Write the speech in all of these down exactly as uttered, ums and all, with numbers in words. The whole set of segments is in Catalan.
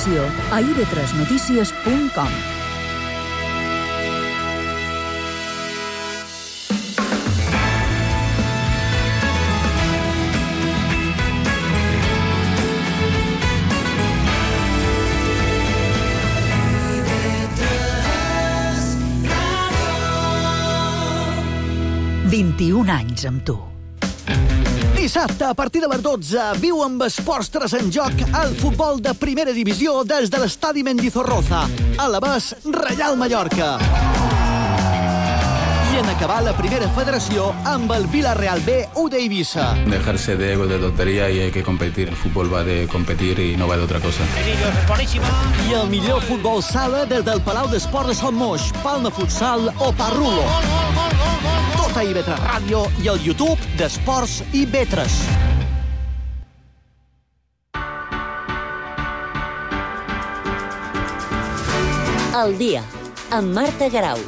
informació a i ve tres notícies punt com. vint-i-un anys amb tu. Dissabte, a partir de les dotze, viu amb Esports tres en joc el futbol de primera divisió des de l'estadi Mendizorroza, a l'Avès Reial Mallorca. I en acabar la primera federació amb el Villarreal B u d'Eivissa. Dejarse de ego, de tontería, y hay que competir. El fútbol va de competir y no va de otra cosa. I el millor futbol sala des del Palau d'Esport de Sant Moix, Palma Futsal o Parrulo. Tot a i ve tres Ràdio i el YouTube d'Esports i ve tres. El dia, amb Marta Garau.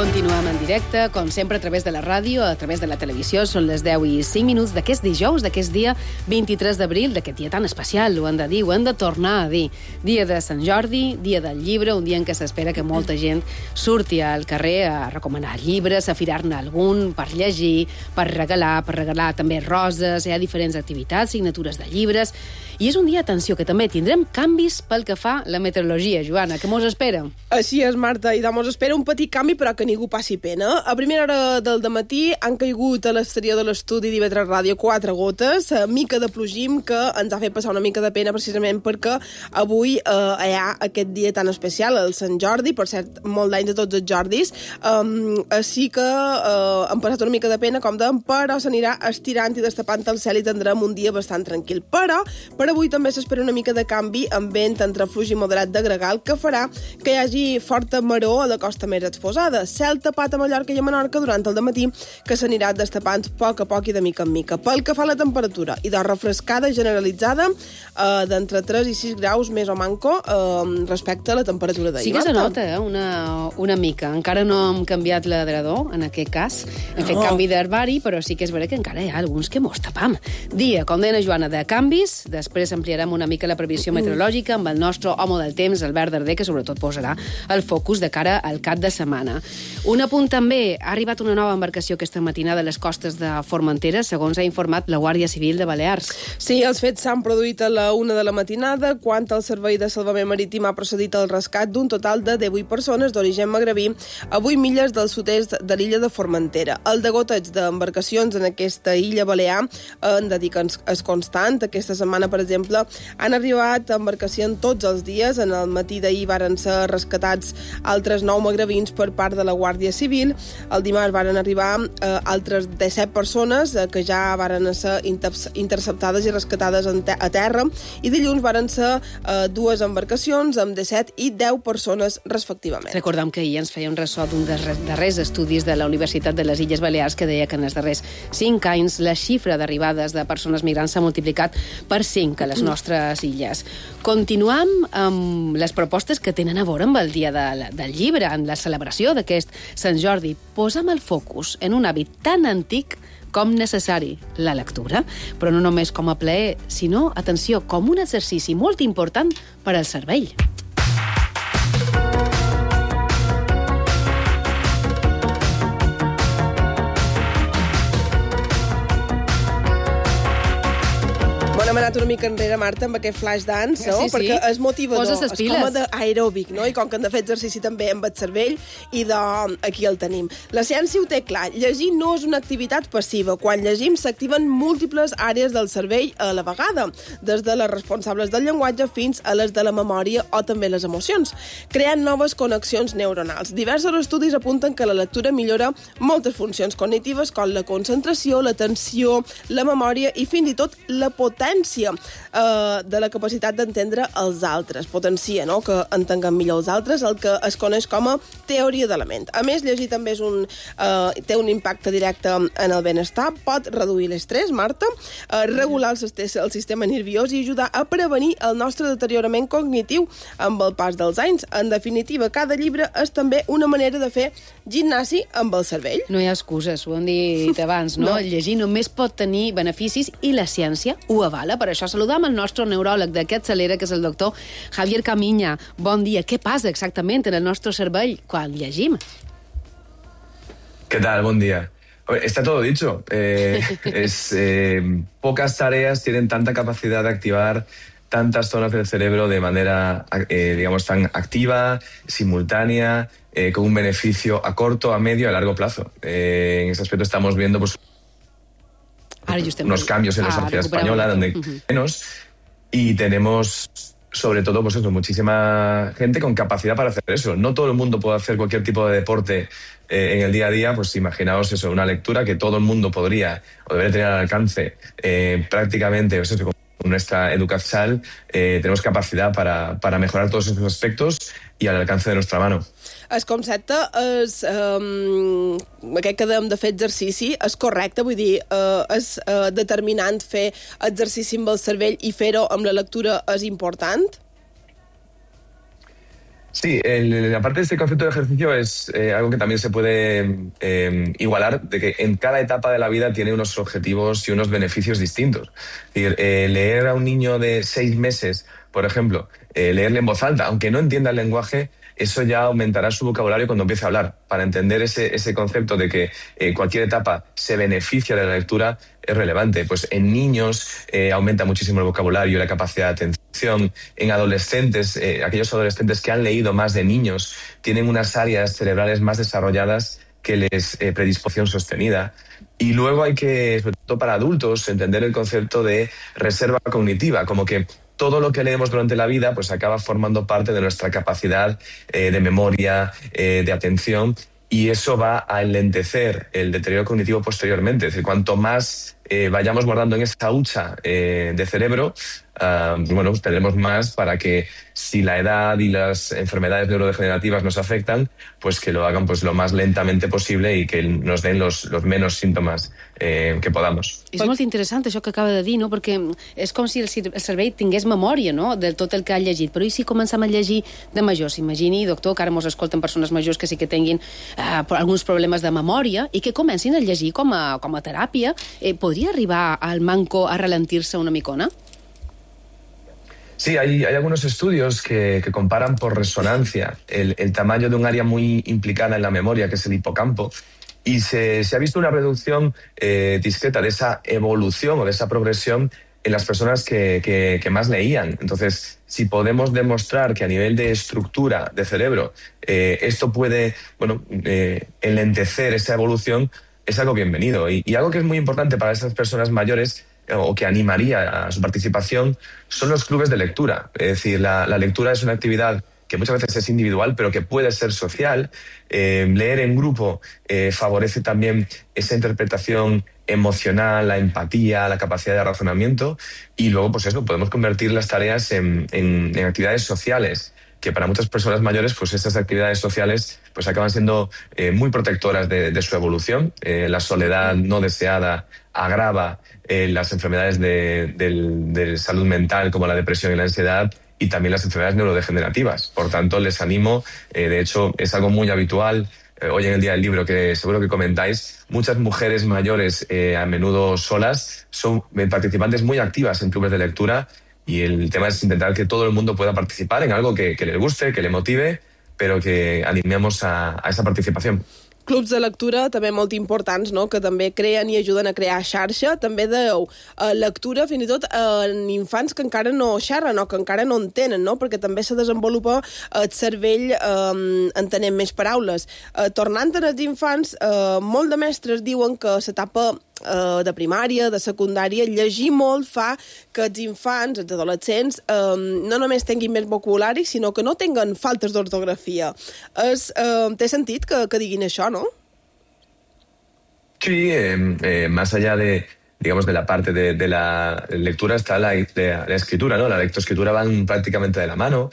Continuem en directe, com sempre, a través de la ràdio, a través de la televisió. Són les deu i cinc minuts d'aquest dijous, d'aquest dia vint-i-tres d'abril, d'aquest dia tan especial, ho hem de dir, ho hem de tornar a dir. Dia de Sant Jordi, dia del llibre, un dia en què s'espera que molta gent surti al carrer a recomanar llibres, a firar-ne algun per llegir, per regalar, per regalar també roses, hi ha diferents activitats, signatures de llibres. I és un dia, atenció, que també tindrem canvis pel que fa la meteorologia. Joana, què mos espera? Així és, Marta, i mos espera un petit canvi, però que ningú passi pena. A primera hora del dematí han caigut a l'exterior de l'estudi d'I ve tres Ràdio quatre gotes, a mica de plogim, que ens ha fet passar una mica de pena precisament perquè avui eh, hi ha aquest dia tan especial, el Sant Jordi, per cert, molt d'anys a tots els Jordis, um, així que eh, han passat una mica de pena, com dèiem, però s'anirà estirant i destapant el cel i tindrem un dia bastant tranquil. Però per avui també s'espera una mica de canvi amb vent entre fluix i moderat de gregal que farà que hi hagi forta maró a la costa més exposada. Cel tapat a Mallorca i a Menorca durant el dematí que s'anirà destapant a poc a poc i de mica en mica. Pel que fa a la temperatura, i de refrescada generalitzada eh, d'entre tres i sis graus més o manco eh, respecte a la temperatura d'ahir. Sí que se nota, eh? una, una mica. Encara no hem canviat l'adredor, en aquest cas. Hem fet No. canvi d'herbari, però sí que és veritat que encara hi ha alguns que mos tapam. Dia, com deia Joana, de canvis. Després ampliarem una mica la previsió meteorològica amb el nostre home del temps, Albert Darder, que sobretot posarà el focus de cara al cap de setmana. Un apunt també, ha arribat una nova embarcació aquesta matinada a les costes de Formentera, segons ha informat la Guàrdia Civil de Balears. Sí, els fets s'han produït a la una de la matinada, quan el Servei de Salvament Marítim ha procedit al rescat d'un total de divuit persones d'origen magrebí a vuit milles del sud-est de l'illa de Formentera. El degoteig d'embarcacions en aquesta illa balear han de dir que és constant. Aquesta setmana, per exemple, han arribat embarcacions tots els dies. En el matí d'ahir varen ser rescatats altres nou magrebins per part de la Guàrdia Civil. El dimarts varen arribar eh, altres disset persones eh, que ja varen ser inter interceptades i rescatades te a terra, i dilluns varen ser eh, dues embarcacions amb disset i deu persones respectivament. Recordem que ahir ens feia un ressò d'un dels darrers estudis de la Universitat de les Illes Balears que deia que en els darrers cinc anys la xifra d'arribades de persones migrants s'ha multiplicat per cinc a les nostres illes. Continuam amb les propostes que tenen a veure amb el dia de, del llibre, en la celebració d'aquest Sant Jordi. Posa'm el focus en un hàbit tan antic com necessari, la lectura, però no només com a plaer, sinó, atenció, com un exercici molt important per al cervell. Hem anat una mica enrere, Marta, amb aquest flash dance, no? Sí, sí. Perquè és motivador, Poses les és piles. com d'aeròbic, no? I com que hem de fer exercici també amb el cervell, i de... aquí el tenim. La ciència ho té clar, llegir no és una activitat passiva. Quan llegim s'activen múltiples àrees del cervell a la vegada, des de les responsables del llenguatge fins a les de la memòria o també les emocions, creant noves connexions neuronals. Diversos estudis apunten que la lectura millora moltes funcions cognitives com la concentració, l'atenció, la memòria i fins i tot la potència potència eh, de la capacitat d'entendre els altres, potencia, no?, que entenguem millor els altres, el que es coneix com a teoria de la ment. A més, llegir també és un, eh, té un impacte directe en el benestar, pot reduir l'estrès, Marta, eh, regular el, el sistema nerviós i ajudar a prevenir el nostre deteriorament cognitiu amb el pas dels anys. En definitiva, cada llibre és també una manera de fer gimnasi amb el cervell. No hi ha excuses, ho hem dit abans, no? no. Llegir només pot tenir beneficis i la ciència ho avala. Per això saludam el nostre neuròleg d'aquest Celera, que és el doctor Javier Camiña. Bon dia. Què passa exactament en el nostre cervell quan llegim? ¿Qué tal? Buen día. Está todo dicho. Eh, es, eh, pocas tareas tienen tanta capacidad de activar tantas zonas del cerebro de manera, eh, digamos, tan activa, simultánea, eh, con un beneficio a corto, a medio y a largo plazo. Eh, en ese aspecto estamos viendo pues, unos cambios en la sociedad española, donde uh-huh. menos, y tenemos sobre todo pues eso, muchísima gente con capacidad para hacer eso. No todo el mundo puede hacer cualquier tipo de deporte eh, en el día a día, pues imaginaos eso, una lectura que todo el mundo podría o debería tener al alcance eh, prácticamente, pues eso, con nuestra educación eh, tenemos capacidad para, para mejorar todos esos aspectos i al alcance de nuestra mano. El concepte és... Um, aquest que dèiem de fer exercici és correcte, vull dir, uh, és uh, determinant fer exercici amb el cervell i fer-ho amb la lectura és important? Sí, el, aparte de este concepto de ejercicio es eh, algo que también se puede eh, igualar, de que en cada etapa de la vida tiene unos objetivos y unos beneficios distintos. Es decir, eh, leer a un niño de seis meses, por ejemplo, eh, leerle en voz alta, aunque no entienda el lenguaje, eso ya aumentará su vocabulario cuando empiece a hablar. Para entender ese, ese concepto de que eh, cualquier etapa se beneficia de la lectura es relevante. Pues en niños eh, aumenta muchísimo el vocabulario y la capacidad de atención. En adolescentes, eh, aquellos adolescentes que han leído más de niños tienen unas áreas cerebrales más desarrolladas que les eh, predisposición sostenida. Y luego hay que, sobre todo para adultos, entender el concepto de reserva cognitiva, como que todo lo que leemos durante la vida pues acaba formando parte de nuestra capacidad eh, de memoria, eh, de atención, y eso va a enlentecer el deterioro cognitivo posteriormente. Es decir, cuanto más eh, vayamos guardando en esa hucha eh, de cerebro, uh, bueno, pues tendremos más para que si la edad y las enfermedades neurodegenerativas nos afectan, pues que lo hagan pues lo más lentamente posible y que nos den los, los menos síntomas eh, que podamos. És molt interessant això que acaba de dir, no? Perquè és com si el cervell tingués memòria, no?, de tot el que ha llegit. Però i si comencem a llegir de majors? Imagini, doctor, que ara mos escolten persones majors que sí que tinguin eh, alguns problemes de memòria i que comencin a llegir com a, com a teràpia. Eh, podria arribar al manco a ralentir-se una micona? Sí, hay, hay algunos estudios que, que comparan por resonancia el, el tamaño de un área muy implicada en la memoria, que es el hipocampo, y se, se ha visto una reducción eh, discreta de esa evolución o de esa progresión en las personas que, que, que más leían. Entonces, si podemos demostrar que a nivel de estructura de cerebro eh, esto puede bueno, eh, enlentecer esa evolución, es algo bienvenido. Y, y algo que es muy importante para esas personas mayores o que animaría a su participación son los clubes de lectura. Es decir, la, la lectura es una actividad que muchas veces es individual, pero que puede ser social. Eh, leer en grupo eh, favorece también esa interpretación emocional, la empatía, la capacidad de razonamiento, y luego, pues eso, podemos convertir las tareas en, en, en actividades sociales, que para muchas personas mayores, pues estas actividades sociales pues acaban siendo eh, muy protectoras de, de su evolución. Eh, la soledad no deseada agrava eh, las enfermedades de, de, de salud mental, como la depresión y la ansiedad, y también las enfermedades neurodegenerativas. Por tanto, les animo, eh, de hecho, es algo muy habitual. Eh, hoy en el Día del Libro, que seguro que comentáis, muchas mujeres mayores, eh, a menudo solas, son participantes muy activas en clubes de lectura. Y el tema es intentar que todo el mundo pueda participar en algo que, que les guste, que le motive, pero que animemos a, a esa participación. Clubs de lectura també molt importants, no?, que també creen i ajuden a crear xarxa. També dèieu eh, lectura fins i tot en infants que encara no xerren o que encara no entenen, no?, perquè també se desenvolupa el cervell eh, entenent més paraules. Eh, tornant als infants, eh, molt de mestres diuen que s'etapa eh, de primària, de secundària, llegir molt fa que els infants, els adolescents, eh, no només tinguin més vocabulari, sinó que no tinguen faltes d'ortografia. Es, eh, té sentit que, que diguin això, no? Sí, eh, eh, más allá de, digamos, de la parte de, de la lectura está la, la, la escritura, ¿no? La lectoescritura van prácticamente de la mano.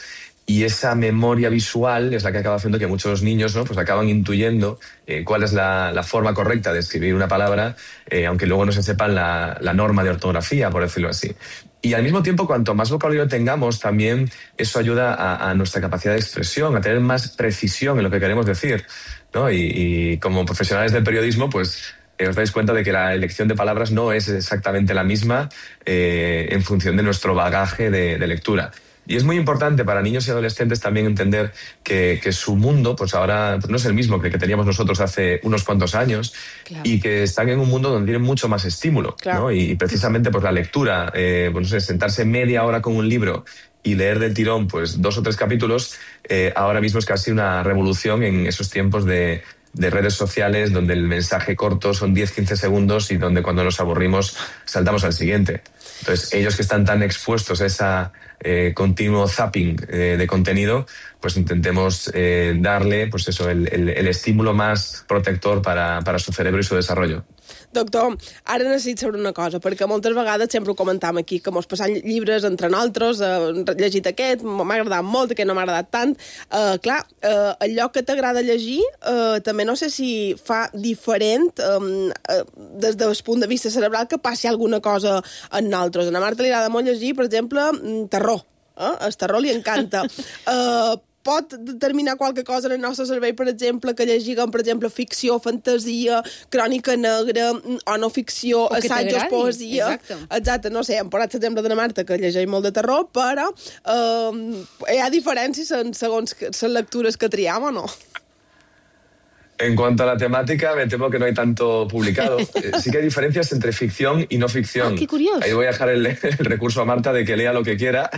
Y esa memoria visual es la que acaba haciendo que muchos niños, ¿no? Pues acaban intuyendo eh, cuál es la, la forma correcta de escribir una palabra, eh, aunque luego no se sepan la, la norma de ortografía, por decirlo así. Y al mismo tiempo, cuanto más vocabulario tengamos, también eso ayuda a, a nuestra capacidad de expresión, a tener más precisión en lo que queremos decir, ¿no? Y, y como profesionales del periodismo, pues eh, os dais cuenta de que la elección de palabras no es exactamente la misma eh, en función de nuestro bagaje de, de lectura. Y es muy importante para niños y adolescentes también entender que, que su mundo, pues ahora pues no es el mismo que el que teníamos nosotros hace unos cuantos años, claro. Y que están en un mundo donde tienen mucho más estímulo, claro. ¿no? Y, y precisamente pues la lectura, eh, pues no sé, sentarse media hora con un libro y leer del tirón pues dos o tres capítulos, eh, ahora mismo es casi una revolución en esos tiempos de, de redes sociales donde el mensaje corto son diez a quince segundos y donde cuando nos aburrimos saltamos al siguiente. Entonces, ellos que están tan expuestos a esa eh, continuo zapping eh, de contenido, pues intentemos eh, darle pues eso, el, el, el estímulo más protector para, para su cerebro y su desarrollo. Doctor, ara necessito saber una cosa, perquè moltes vegades sempre ho comentam aquí, que mos passam llibres entre nosaltres, eh, llegit aquest, m'ha agradat molt, aquest no m'ha agradat tant. Eh, clar, eh, allò que t'agrada llegir, eh, també no sé si fa diferent eh, eh, des del punt de vista cerebral que passi alguna cosa en nosaltres. A la Marta li agrada molt llegir, per exemple, terror. Eh? El terror li encanta. Eh, pot determinar qualque cosa en el nostre cervell, per exemple, que llegim, per exemple, ficció, fantasia, crònica negra, o no ficció, assajos, poesia... Exacte. Exacte, no sé, hem posat l'exemple de la Marta, que llegeix molt de terror, però eh, hi ha diferències segons les lectures que triem o no? En cuanto a la temática, me temo que no hay tanto publicado. Sí que hay diferencias entre ficción y no ficción. Ah, qué curioso. Ahí voy a dejar el, el recurso a Marta de que lea lo que quiera,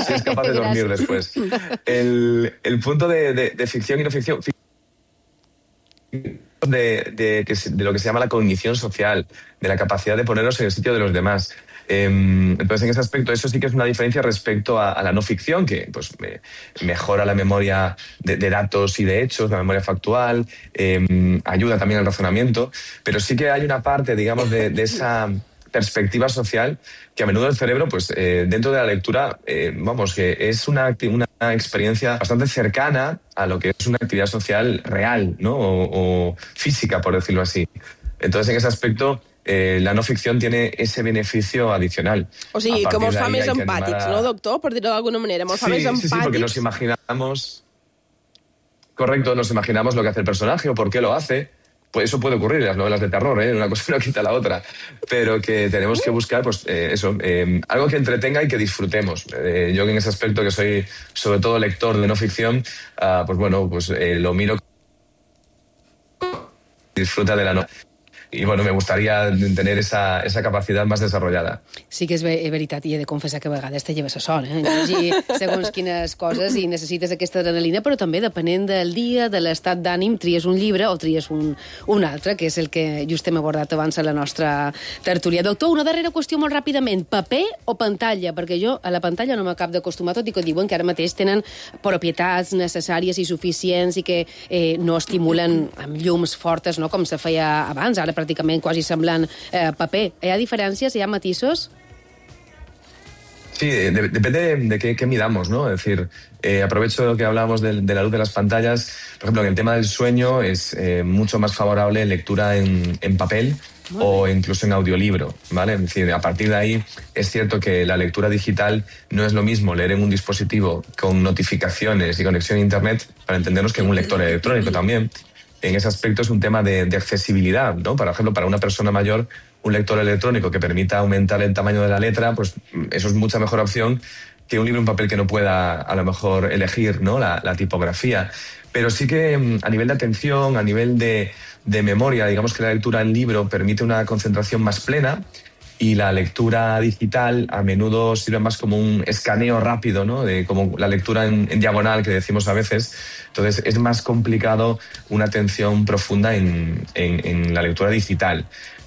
si es capaz de dormir después. El, el punto de, de, de ficción y no ficción... De, de, de lo que se llama la cognición social, de la capacidad de ponernos en el sitio de los demás. Eh, entonces, en ese aspecto, eso sí que es una diferencia respecto a, a la no ficción, que pues me, mejora la memoria de, de datos y de hechos, la memoria factual, eh, ayuda también al razonamiento, pero sí que hay una parte, digamos, de, de esa perspectiva social que a menudo el cerebro, pues eh, dentro de la lectura, eh, vamos, que es una, una experiencia bastante cercana a lo que es una actividad social real, ¿no? O, o física, por decirlo así. Entonces, en ese aspecto, Eh, la no ficción tiene ese beneficio adicional. O sigui, que mos fa més empàtics, a... ¿no, doctor? Per dir-ho d'alguna manera, mos sí, fa més empàtics. Sí, sí, porque nos imaginamos... Correcto, nos imaginamos lo que hace el personaje o por qué lo hace. Pues eso puede ocurrir en las novelas de terror, ¿eh? Una cosa no quita la otra. Pero que tenemos que buscar, pues, eh, eso, eh, algo que entretenga y que disfrutemos. Eh, yo en ese aspecto, que soy sobre todo lector de no ficción, uh, pues bueno, pues eh, lo miro... Disfruta de la novela. I, bueno, me gustaría tener esa, esa capacitat més desarrollada. Sí que és veritat, i he de confessar que a vegades te lleves a son, eh? Llegir segons quines coses i necessites aquesta adrenalina, però també depenent del dia, de l'estat d'ànim, tries un llibre o tries un, un altre, que és el que just hem abordat abans a la nostra tertúlia. Doctor, una darrera qüestió molt ràpidament. Paper o pantalla? Perquè jo a la pantalla no m'acabo d'acostumar, tot i que diuen que ara mateix tenen propietats necessàries i suficients i que eh, no estimulen amb llums fortes, no?, com se feia abans, ara pràcticament quasi semblant eh, paper. ¿Hi ha diferencias? ¿Hi ha matisos? Sí, de, depende de qué, qué midamos, ¿no? Es decir, eh, aprovecho que hablábamos de, de la luz de las pantallas. Por ejemplo, en el tema del sueño es eh, mucho más favorable lectura en, en papel o incluso en audiolibro, ¿vale? Es decir, a partir de ahí es cierto que la lectura digital no es lo mismo leer en un dispositivo con notificaciones y conexión a internet, para entendernos, que en un lector electrónico también. En ese aspecto es un tema de, de accesibilidad, ¿no? Por ejemplo, para una persona mayor, un lector electrónico que permita aumentar el tamaño de la letra, pues eso es mucha mejor opción que un libro en papel que no pueda a lo mejor elegir, ¿no?, la, la tipografía. Pero sí que a nivel de atención, a nivel de, de memoria, digamos que la lectura en libro permite una concentración más plena, y la lectura digital a menudo sirve más como un escaneo rápido, ¿no?, de como la lectura en, en diagonal que decimos a veces. Entonces es más complicado una atención profunda en, en, en la lectura digital.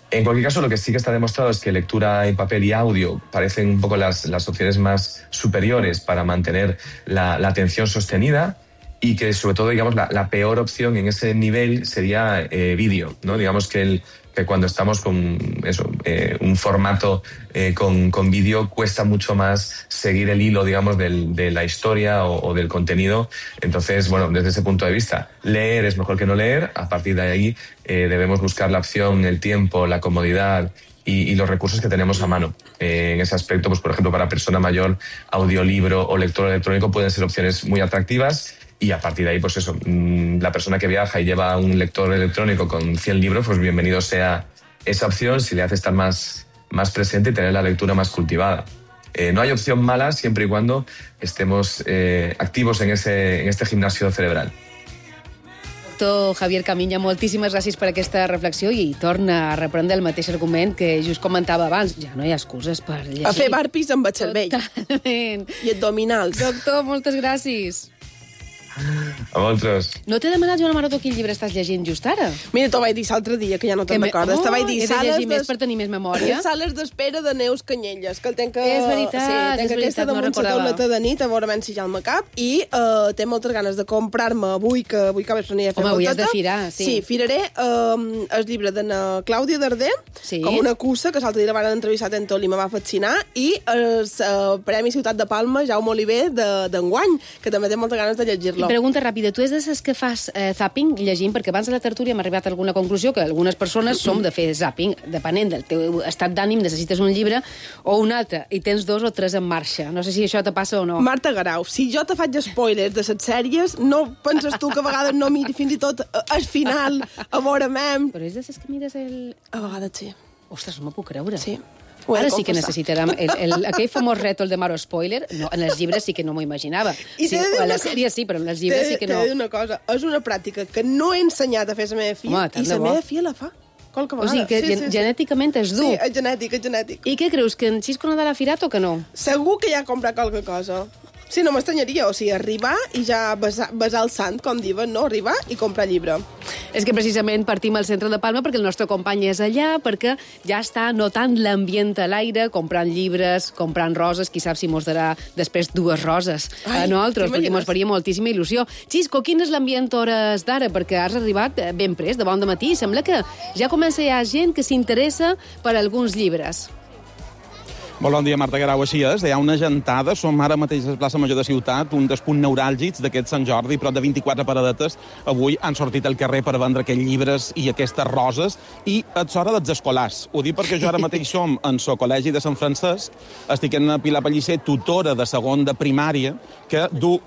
En cualquier caso, lo que sí que está demostrado es que lectura en papel y audio parecen un poco las, las opciones más superiores para mantener la, la atención sostenida. y que sobre todo, digamos, la, la peor opción en ese nivel sería eh, vídeo, ¿no? Digamos que, el, que cuando estamos con eso, eh, un formato eh, con, con vídeo cuesta mucho más seguir el hilo, digamos, del, de la historia o, o del contenido. Entonces, bueno, desde ese punto de vista, leer es mejor que no leer. A partir de ahí eh, debemos buscar la opción, el tiempo, la comodidad y, y los recursos que tenemos a mano. Eh, en ese aspecto, pues por ejemplo, para persona mayor, audiolibro o lector electrónico pueden ser opciones muy atractivas. Y a partir de ahí, pues eso, la persona que viaja y lleva un lector electrónico con cien libros, pues bienvenido sea esa opción si le hace estar más, más presente y tener la lectura más cultivada. Eh, no hay opción mala siempre y cuando estemos eh, activos en, ese, en este gimnasio cerebral. Doctor Javier Camiña, moltíssimes gràcies per aquesta reflexió i torna a reprendre el mateix argument que just comentava abans. Ja no hi ha excuses per llegir. A fer barpis amb el cervell. Totalment. I abdominals. Doctor, moltes gràcies. A vosaltres. No t'he demanat, Joan Maroto, quin llibre estàs llegint just ara? Mira, t'ho vaig dir l'altre dia, que ja no te'n recordes. Oh, te vaig dir, he de llegir més per tenir més memòria. Sales d'espera de Neus Canyelles, que el tenc que... És veritat, sí, tenc és aquesta veritat, no damunt la tauleta de nit, a veure si ja el me cap, i uh, té moltes ganes de comprar-me avui, que avui que vaig venir a fer Home, avui has boteta. de firar, sí. Sí, firaré uh, el llibre de na Clàudia Darder, sí. Com una cussa, que l'altre dia la van entrevistar en tot i me va fascinar, i el uh, Premi Ciutat de Palma, Jaume Oliver, d'enguany, de, que també té moltes ganes de llegir-lo. I pregunta ràpida, tu és de les que fas eh, zapping llegint? Perquè abans de la tertúlia hem arribat a alguna conclusió que algunes persones som de fer zapping, depenent del teu estat d'ànim, necessites un llibre o un altre, i tens dos o tres en marxa. No sé si això te passa o no. Marta Garau, si jo te faig spoilers de les sèries, no penses tu que a vegades no miri fins i tot al final, a veure mem... Però és de les que mires el... A vegades sí. Ostres, no m'ho puc creure. Sí. Ara sí que necessitarem el, el, aquell famós rètol de Maro Spoiler. No, en els llibres sí que no m'ho imaginava. Sí, a la sèrie sí, però en els llibres sí que no. T'he de dir una cosa, és una pràctica que no he ensenyat a fer la meva filla. Home, i la meva filla la fa. Qualque vegada. O sigui que sí, sí, genèticament és dur. Sí, és genètic, és genètic. I què creus, que en Xisco Nadal ha firat o que no? Segur que ja ha comprat qualque cosa. Sí, no m'estranyaria, o sigui, arribar i ja besar, besar el sant, com diuen, no? Arribar i comprar llibre. És que precisament partim al centre de Palma perquè el nostre company és allà, perquè ja està notant l'ambient a l'aire, comprant llibres, comprant roses, qui sap si mos darà després dues roses Ai, a nosaltres, perquè mos faria moltíssima il·lusió. Xisco, quin és l'ambient hores d'ara? Perquè has arribat ben prest, de bon dematí. Sembla que ja comença a hi ha gent que s'interessa per alguns llibres. Molt bon dia, Marta Garau, així és. Hi ha una gentada, som ara mateix a la plaça Major de Ciutat, un dels punts neuràlgics d'aquest Sant Jordi, prop de vint-i-quatre paradetes avui han sortit al carrer per vendre aquests llibres i aquestes roses, i és hora dels escolars. Ho dic perquè jo ara mateix som en el Col·legi de Sant Francesc, estic en Pilar Pellicer, tutora de segon de primària, que du...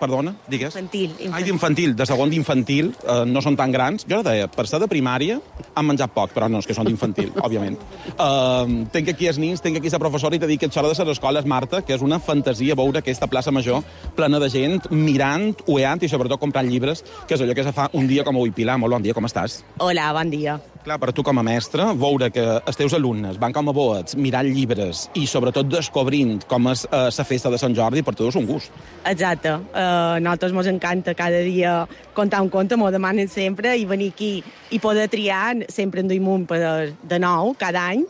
Perdona, digues? Infantil. infantil. Ai, d'infantil, de segon d'infantil, eh, no són tan grans. Jo deia, per ser de primària, han menjat poc, però no, és que són d'infantil, òbviament. Eh, tenc aquí els nins, tenc aquí la professora i t'he dit que és hora de les escoles, Marta, que és una fantasia veure aquesta plaça Major plena de gent, mirant, ueant i sobretot comprant llibres, que és allò que se fa un dia com avui. Pilar, molt bon dia, com estàs? Hola, bon dia. Clar, per tu com a mestre, veure que els teus alumnes van com a boets mirant llibres i sobretot descobrint com és eh, la festa de Sant Jordi, per tu és un gust. Exacte. Uh, a nosaltres ens encanta cada dia contar un conte, m'ho demanen sempre, i venir aquí i poder triar, sempre en duim un per de nou, cada any,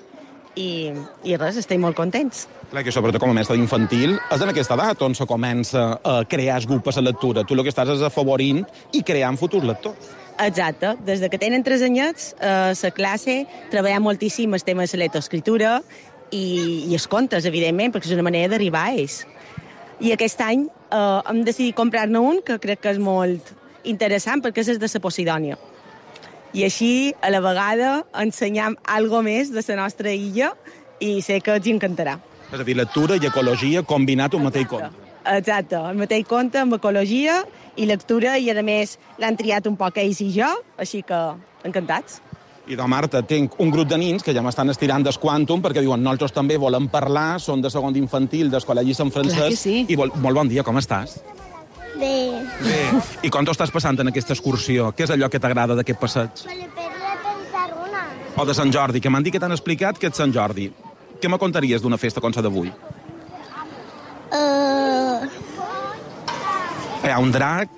i, i res, estem molt contents. Clar, que sobretot com a mestre d'infantil és en aquesta edat on se comença a crear el gust per la lectura. Tu el que estàs és afavorint i creant futurs lectors. Exacte. Des de que tenen tres anyets, a la classe treballem moltíssim el tema de la lectoescriptura i, i els contes, evidentment, perquè és una manera d'arribar a ells. I aquest any eh, hem decidit comprar-ne un que crec que és molt interessant perquè és de la Posidònia. I així, a la vegada, ensenyam algo més de la nostra illa i sé que els encantarà. És a dir, lectura i ecologia combinat un mateix conte. Exacte, el mateix conte amb ecologia i lectura, i a més l'han triat un poc ells i jo, així que encantats. I de Marta, tinc un grup de nins que ja m'estan estirant des quàntum perquè diuen nosaltres també volem parlar, són de segon d'infantil, del Col·legi Sant Francesc, sí. I vol, molt bon dia, com estàs? Bé. Bé. I com t'ho estàs passant en aquesta excursió? Què és allò que t'agrada d'aquest passeig? Me lo podría pensar una. O de Sant Jordi, que m'han dit que t'han explicat que és Sant Jordi. Què me contaries d'una festa com la d'avui? Uh... Hi ha un drac,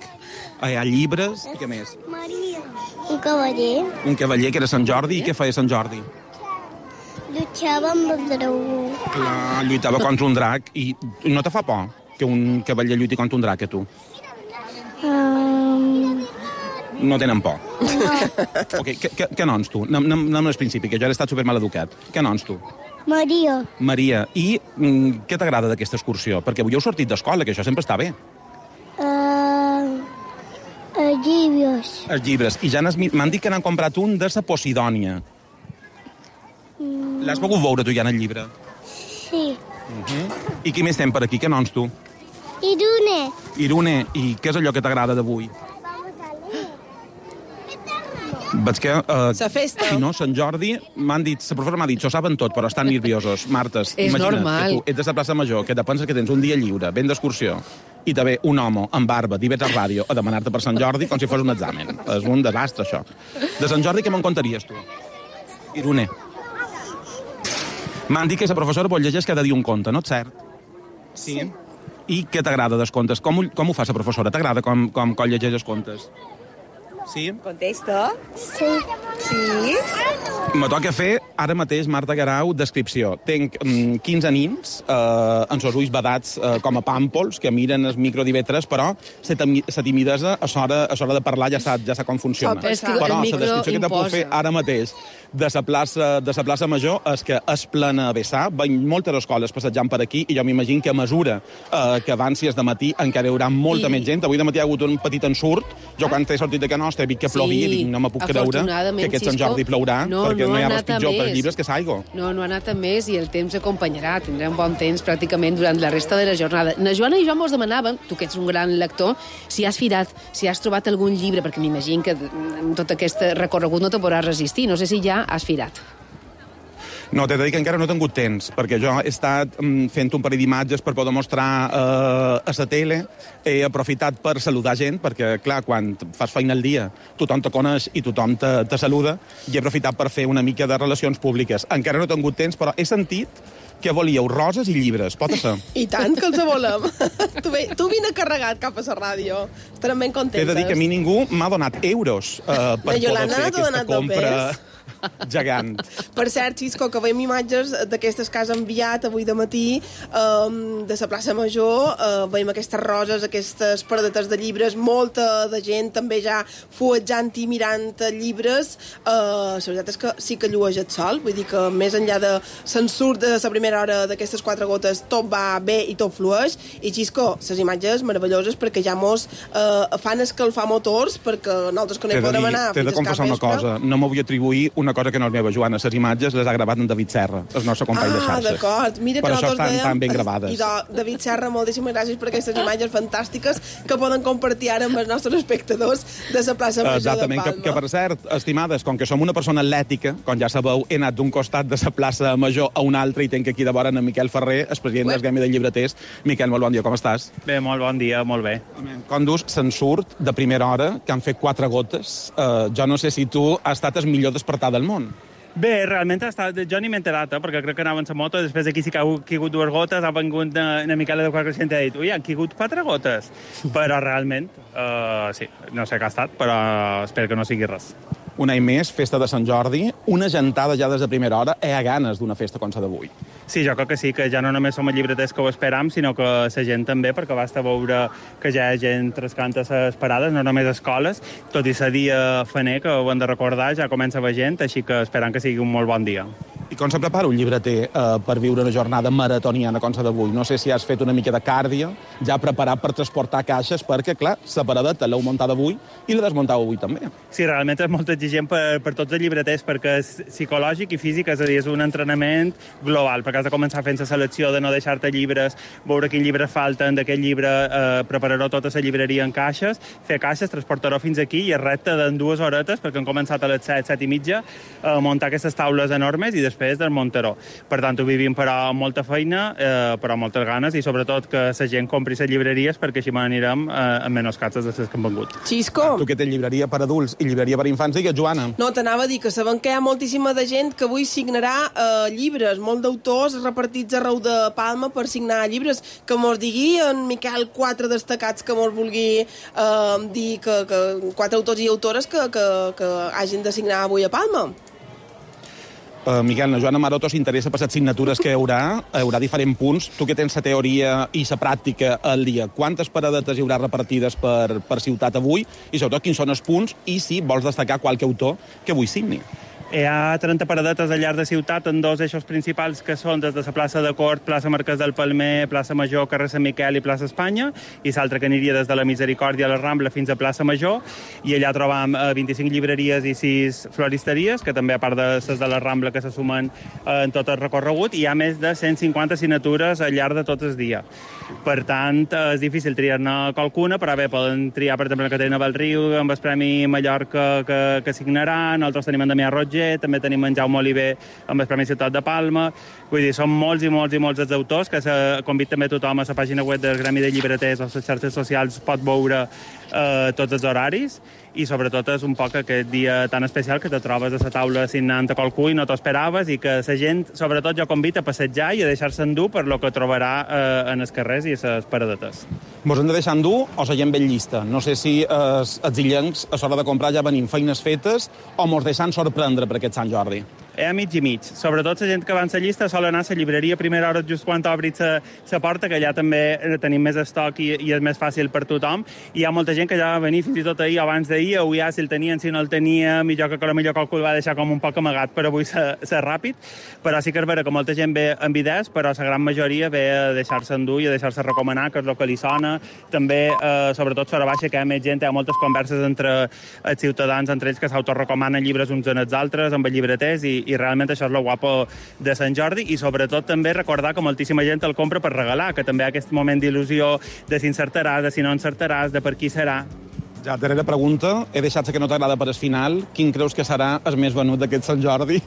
hi ha llibres, i què més? Maria. Un cavaller. Un cavaller que era Sant Jordi, i què feia Sant Jordi? Lluitava amb el dragó. Clar, lluitava contra un drac, i no te fa por que un cavaller lluiti contra un drac, a tu? Uh... No tenen por. No. Ok, què, què, què noms tu? Anem, anem, anem al principi, que jo he estat supermal educat. Què noms tu? Maria. Maria, i mm, què t'agrada d'aquesta excursió? Perquè avui heu sortit d'escola, que això sempre està bé. Uh, els llibres. Els llibres. I ja m'han dit que n'han comprat un de la Posidònia. Mm. L'has pogut veure tu ja en el llibre? Sí. Uh-huh. I qui més tem per aquí? Què noms tu? Irune. Irune, i què és allò que t'agrada d'avui? Veig que... Uh, La festa. Si no, Sant Jordi, m'han dit, la professora m'ha dit, s'ho saben tot, però estan nerviosos. Martes, És imagina't normal. que tu ets de la plaça Major, que te penses que tens un dia lliure, ben d'excursió, i te ve un home amb barba d'I V tres Ràdio a demanar-te per Sant Jordi com si fos un examen. És un desastre, això. De Sant Jordi, què me'n contaries, tu? Irune. M'han dit que la professora vol llegeix cada dia un conte, no és cert? Sí. I què t'agrada dels contes? Com, ho- com ho fa la professora? T'agrada com, com, com llegeix els contes? Sí? Contesta. Sí. Sí. Me toca fer, ara mateix, Marta Guerau, descripció. Tenc mm, quinze nins eh, amb els ulls vedats eh, com a pàmpols, que miren el micro d'I V tres, però la timidesa a l'hora a l'hora de parlar ja sap, ja sap com funciona. Oh, però és que el però la micro descripció que te puc imposa. fer ara mateix de la plaça, de la plaça Major és que és plena a vessar, veiem moltes escoles passejant per aquí, i jo m'imagino que a mesura eh, que avancis de matí encara hi haurà molta I- més gent. Avui de matí hi ha hagut un petit ensurt. Jo quan he sortit de Can Nostra he vist que plovia i dic, no me puc creure afortunadament, que aquest Sant Xisco, Jordi plourà, no, perquè no no, hi ha ha res anat a pitjor per més. llibres que s'aigua. No, no ha anat a més i el temps acompanyarà. Tindrem bon temps pràcticament durant la resta de la jornada. Na Joana i jo mos demanàvem, tu que ets un gran lector, si has firat, si has trobat algun llibre, perquè m'imagino que en tot aquest recorregut no te podràs resistir. No sé si ja has firat. No, t'he de dir que encara no he tingut temps, perquè jo he estat mm, fent un parell d'imatges per poder mostrar eh, a la tele. He aprofitat per saludar gent, perquè, clar, quan fas feina al dia, tothom te coneix i tothom te, te saluda, i he aprofitat per fer una mica de relacions públiques. Encara no he tingut temps, però he sentit que volíeu roses i llibres, pot ser? I tant que els volem. tu, ve, tu vine carregat cap a la ràdio. Estarem ben contentes. He de dir que a mi ningú m'ha donat euros eh, per La poder Yolanda fer t'ha aquesta donat compra dopers? gegant. Per cert, Xisco, que veiem imatges d'aquestes que has enviat avui de matí um, de la plaça Major. Uh, veiem aquestes roses, aquestes paradetes de llibres, molta de gent també ja fuetjant i mirant llibres. Uh, la veritat és que sí que llueix el sol, vull dir que més enllà de l'ensurt de la primera hora d'aquestes quatre gotes, tot va bé i tot flueix. I Xisco, les imatges meravelloses perquè ja mos uh, fan escalfar motors, perquè nosaltres que no T'he hi de, podrem dir, anar t'he de fins al confessar una capvespre. cosa. No m'ho vull atribuir una cosa que no és meva, Joana. Les imatges les ha gravat en David Serra, el nostre company de Ah, xarxes. d'acord. Mira que per això nosaltres estan dèiem... tan ben gravades. I de, David Serra, moltíssimes gràcies per aquestes imatges fantàstiques que poden compartir ara amb els nostres espectadors de la plaça Major Exactament, de que, Palma. que per cert, estimades, com que som una persona atlètica, com ja sabeu, he anat d'un costat de la plaça Major a un altre i tenc aquí de vora en Miquel Ferrer, el president del Gremi de Llibreters. Miquel, molt bon dia, com estàs? Bé, molt bon dia, molt bé. Com dius, se'n surt de primera hora, que han fet quatre gotes. Uh, jo no sé si tu has estat el millor despertar del món. Bé, realment ha estat... jo ni m'he enterat, eh, perquè crec que anava en la moto, després aquí sí que ha caigut dues gotes, ha vengut una, una Miquela de quatre cents i ha dit, ui, han caigut quatre gotes. Però realment, uh, sí, no sé què ha estat, però espero que no sigui res. Un any més, festa de Sant Jordi, una gentada ja des de primera hora, hi ha ganes d'una festa com la d'avui. Sí, jo crec que sí, que ja no només som els llibreters que ho esperam, sinó que la gent també, perquè basta veure que ja hi ha gent trascant a les parades, no només escoles, tot i ser dia faner, que ho hem de recordar, ja comença a haver gent, així que esperam que sigui un molt bon dia. I com se prepara un llibreter eh, per viure una jornada maratoniana com la d'avui? No sé si has fet una mica de càrdio, ja preparat per transportar caixes, perquè, clar, la paradeta l'heu muntada avui i la desmuntau avui també. Sí, realment és molt exigent per, per tots els llibreters, perquè és psicològic i físic, és a dir, és un entrenament global, perquè has de començar fent la selecció de no deixar-te llibres, veure quins llibres falten d'aquest llibre, eh, preparar-ho tota la llibreria en caixes, fer caixes, transportar-ho fins aquí i el repte d'en dues horetes, perquè han començat a les set, set i mitja, a muntar aquestes taules enormes i després desmuntar-ho. Per tant, ho vivim però amb molta feina, eh, però amb moltes ganes i sobretot que la gent compri les llibreries perquè així m'anirem eh, amb menys cases de les que han vengut. Xisco! Tu que tens llibreria per adults i llibreria per infants, digues, Joana. No, t'anava a dir que sabem que hi ha moltíssima de gent que avui signarà eh, llibres, molt d'autors repartits arreu de Palma per signar llibres. Que mos digui en Miquel quatre destacats que mos vulgui eh, dir que, que quatre autors i autores que, que, que hagin de signar avui a Palma. Uh, Miquel, la Joana Maroto s'interessa per les signatures que hi haurà. Hi haurà diferents punts. Tu que tens la teoria i la pràctica al dia, quantes paradetes hi haurà repartides per, per ciutat avui? I sobretot, quins són els punts? I si vols destacar qualque autor que avui signi. Hi ha trenta paradetes al llarg de ciutat en dos eixos principals que són des de la plaça de Cort, plaça Marquès del Palmer, plaça Major, carrer Sant Miquel i plaça Espanya, i l'altra que aniria des de la Misericòrdia a la Rambla fins a plaça Major, i allà trobam eh, vint-i-cinc llibreries i sis floristeries, que també a part de les de la Rambla que se sumen eh, en tot el recorregut, i hi ha més de cent cinquanta signatures al llarg de tot el dia. Per tant, és difícil triar-ne qualcuna, però bé, poden triar, per exemple, la Caterina Belriu, amb el Premi Mallorca que, que signaran, nosaltres tenim en Damià Roger, també tenim en Jaume Oliver amb el Premi Ciutat de Palma. Vull dir, són molts i molts i molts els autors que se convida també tothom a la pàgina web del Gremi de Llibreters o a les xarxes socials pot veure eh, tots els horaris, i sobretot és un poc aquest dia tan especial que te trobes a la taula signant a qualcú i no t'ho esperaves, i que la gent, sobretot jo convida a passejar i a deixar-se endur per lo que trobarà eh, en els carrers i les paradetes. Mos hem de deixar endur o la gent ben llista? No sé si els, els illencs a l'hora de comprar ja venim feines fetes o mos deixant sorprendre per aquest Sant Jordi. Hi ha mig i mig. Sobretot la gent que va en la llista sol anar a la llibreria a primera hora just quan obrit la porta, que allà també tenim més estoc i, i és més fàcil per tothom. I hi ha molta gent que ja va venir fins i tot ahir, abans d'ahir, avui ja si el tenien, si no el tenia, millor que millor qualcú el va deixar com un poc amagat per avui ser, ser ràpid. Però sí que és vera que molta gent ve amb idees, però la gran majoria ve a deixar-se endur i a deixar-se recomanar, que és el que li sona. També, eh, sobretot, sobre baixa, que hi ha més gent, hi ha moltes converses entre els ciutadans, entre ells que s'autorecomanen llibres uns en els altres, amb els llibreters, i i realment això és lo guapo de Sant Jordi, i sobretot també recordar que moltíssima gent el compra per regalar, que també hi ha aquest moment d'il·lusió de si encertaràs, de si no encertaràs, de per qui serà. Ja, darrera pregunta, he deixat que no t'agrada per al final. Quin creus que serà el més venut d'aquest Sant Jordi?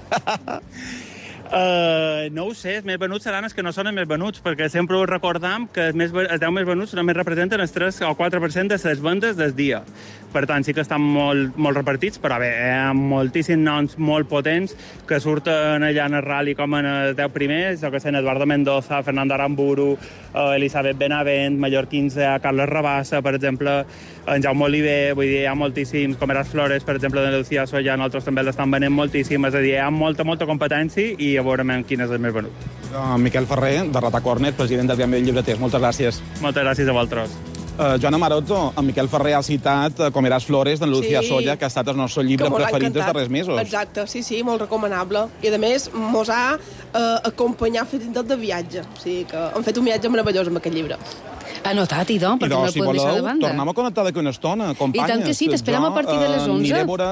Uh, no ho sé, els més venuts seran els que no són els més venuts, perquè sempre ho recordam que els, més, els deu més venuts només representen el tres o quatre per cent de les vendes del dia. Per tant, sí que estan molt, molt repartits, però bé, hi ha moltíssims noms molt potents que surten allà en el rally com en els deu primers, jo que sé, Eduardo Mendoza, Fernando Aramburu, uh, Elisabet Benavent, mallorquins, uh, Carles Rabassa, per exemple, en Jaume Oliver, vull dir, hi ha moltíssims, com Eras Flores, per exemple, de Lucía Soya, nosaltres també l'estan venent moltíssim, és a dir, hi ha molta, molta competència i a veure quin és el més venut. Uh, Miquel Ferrer, de Rata Cornet, president del Gremi de Llibreters, moltes gràcies. Moltes gràcies a vosaltres. Uh, Joana Maroto, en Miquel Ferrer ha citat uh, com Eras Flores, d'en Lucía sí. Soya, que ha estat el nostre llibre preferit dels darrers mesos. Exacte, sí, sí, molt recomanable. I a més, mos ha uh, acompanyat fins i tot de viatge. O sigui que hem fet un viatge meravellós amb aquest llibre. Anotat, idò, perquè idò, no el si podem voleu, deixar de banda. Tornem a connectar d'aquí una estona, companyes. I tant que sí, t'esperem a partir de les onze. Jo, uh, veure,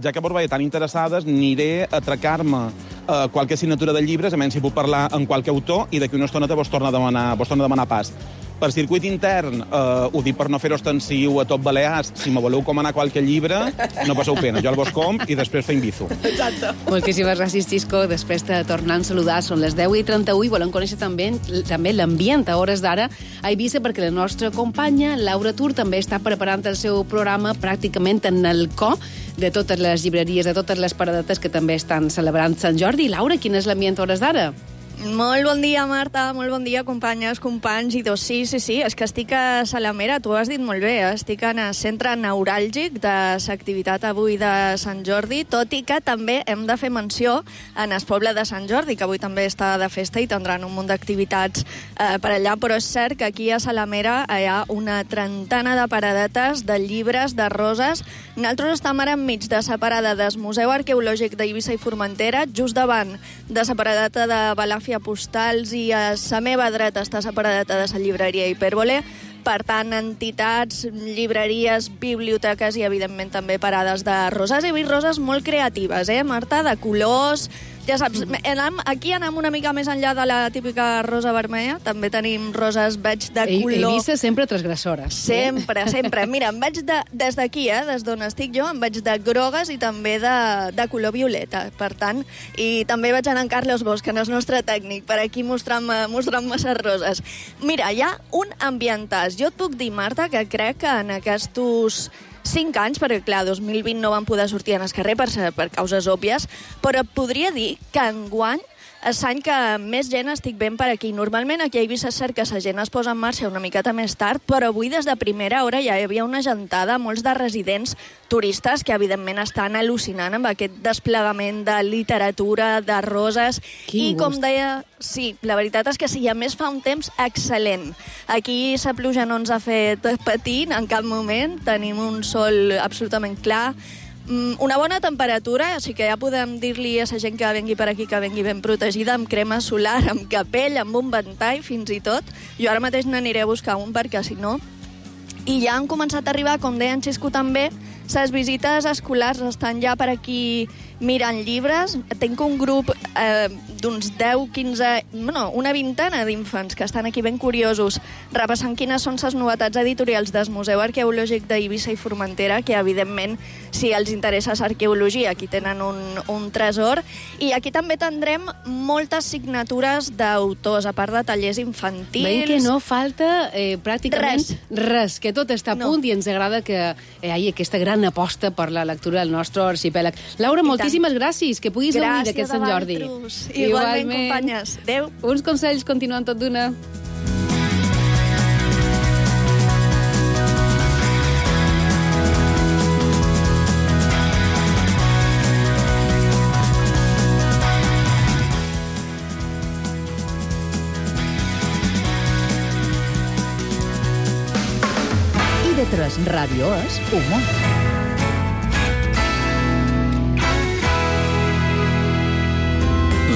ja que vos veia tan interessades, aniré a atracar-me uh, qualque assignatura de llibres, a menys si puc parlar amb qualque autor, i d'aquí una estona te vos torna a demanar, vos torna a demanar pas. Per circuit intern, eh, ho dic per no fer-ho extensiu a tot Balears, si me voleu comanar qualque llibre, no passeu pena, jo el vos comp i després fem bizu. Exacte. Moltíssimes gràcies, Xisco. Després de tornar a saludar, són les deu i trenta-u i volem conèixer també, també l'ambient a hores d'ara a Eivissa, perquè la nostra companya, Laura Tur, també està preparant el seu programa pràcticament en el co de totes les llibreries, de totes les paradetes que també estan celebrant Sant Jordi. Laura, quin és l'ambient a hores d'ara? Molt bon dia, Marta, molt bon dia, companyes, companys, i dos, sí, sí, sí, és que estic a Salamera, tu ho has dit molt bé, estic en el centre neuràlgic de l'activitat avui de Sant Jordi, tot i que també hem de fer menció en el poble de Sant Jordi, que avui també està de festa i tindran un munt d'activitats eh, per allà, però és cert que aquí a Salamera hi ha una trentena de paradetes de llibres, de roses. Nosaltres estem ara enmig de la parada del Museu Arqueològic d'Eivissa i Formentera, just davant de la paradeta de Balàfia Postals, i a la meva dreta està la paradeta de la llibreria Hipèrbole. Per tant, entitats, llibreries, biblioteques i, evidentment, també parades de roses. He vist roses molt creatives, eh, Marta? De colors. Ja saps, aquí anem una mica més enllà de la típica rosa vermella. També tenim roses, veig, de color... Eivissa sempre transgressores. Sempre, sempre. Mira, em veig de, des d'aquí, eh, des d'on estic jo, em veig de grogues i també de, de color violeta. Per tant, i també veig en Carlos Bosch, que no és nostre tècnic, per aquí mostrant-me mostrant-me les roses. Mira, hi ha un ambientàs. Jo et puc dir, Marta, que crec que en aquests cinc anys, perquè clar, dos mil vint no van poder sortir en el carrer per, per causes òbvies, però et podria dir que enguany és l'any que més gent estic veient per aquí. Normalment aquí a Eivissa és cert que la gent es posa en marxa una miqueta més tard, però avui des de primera hora ja hi havia una gentada, molts de residents turistes que evidentment estan al·lucinant amb aquest desplegament de literatura, de roses. Quin I com gust. deia, sí, la veritat és que sí, a més fa un temps excel·lent. Aquí la pluja no ens ha fet patir en cap moment, tenim un sol absolutament clar, una bona temperatura, així que ja podem dir-li a la gent que vengui per aquí que vengui ben protegida, amb crema solar, amb capell, amb un ventall, fins i tot. Jo ara mateix n'aniré a buscar un, perquè si no... I ja han començat a arribar, com deia en Xisco també, les visites escolars estan ja per aquí mirant llibres. Tinc un grup eh, d'uns deu, quinze, no, una vintena d'infants que estan aquí ben curiosos, repassant quines són les novetats editorials del Museu Arqueològic d'Eivissa i Formentera, que evidentment, si els interessa l'arqueologia, aquí tenen un, un tresor. I aquí també tindrem moltes signatures d'autors, a part de tallers infantils. Veiem que no falta eh, pràcticament res. res, que tot està a No. punt i ens agrada que eh, hi hagi aquesta gran aposta per la lectura del nostre arxipèlag. Laura, moltíssimes gràcies, que puguis gaudir d'aquest Sant Jordi. Gràcies a Igualment, companyes. Adéu. Uns consells continuant tot d'una. I de tres Ràdio és humor.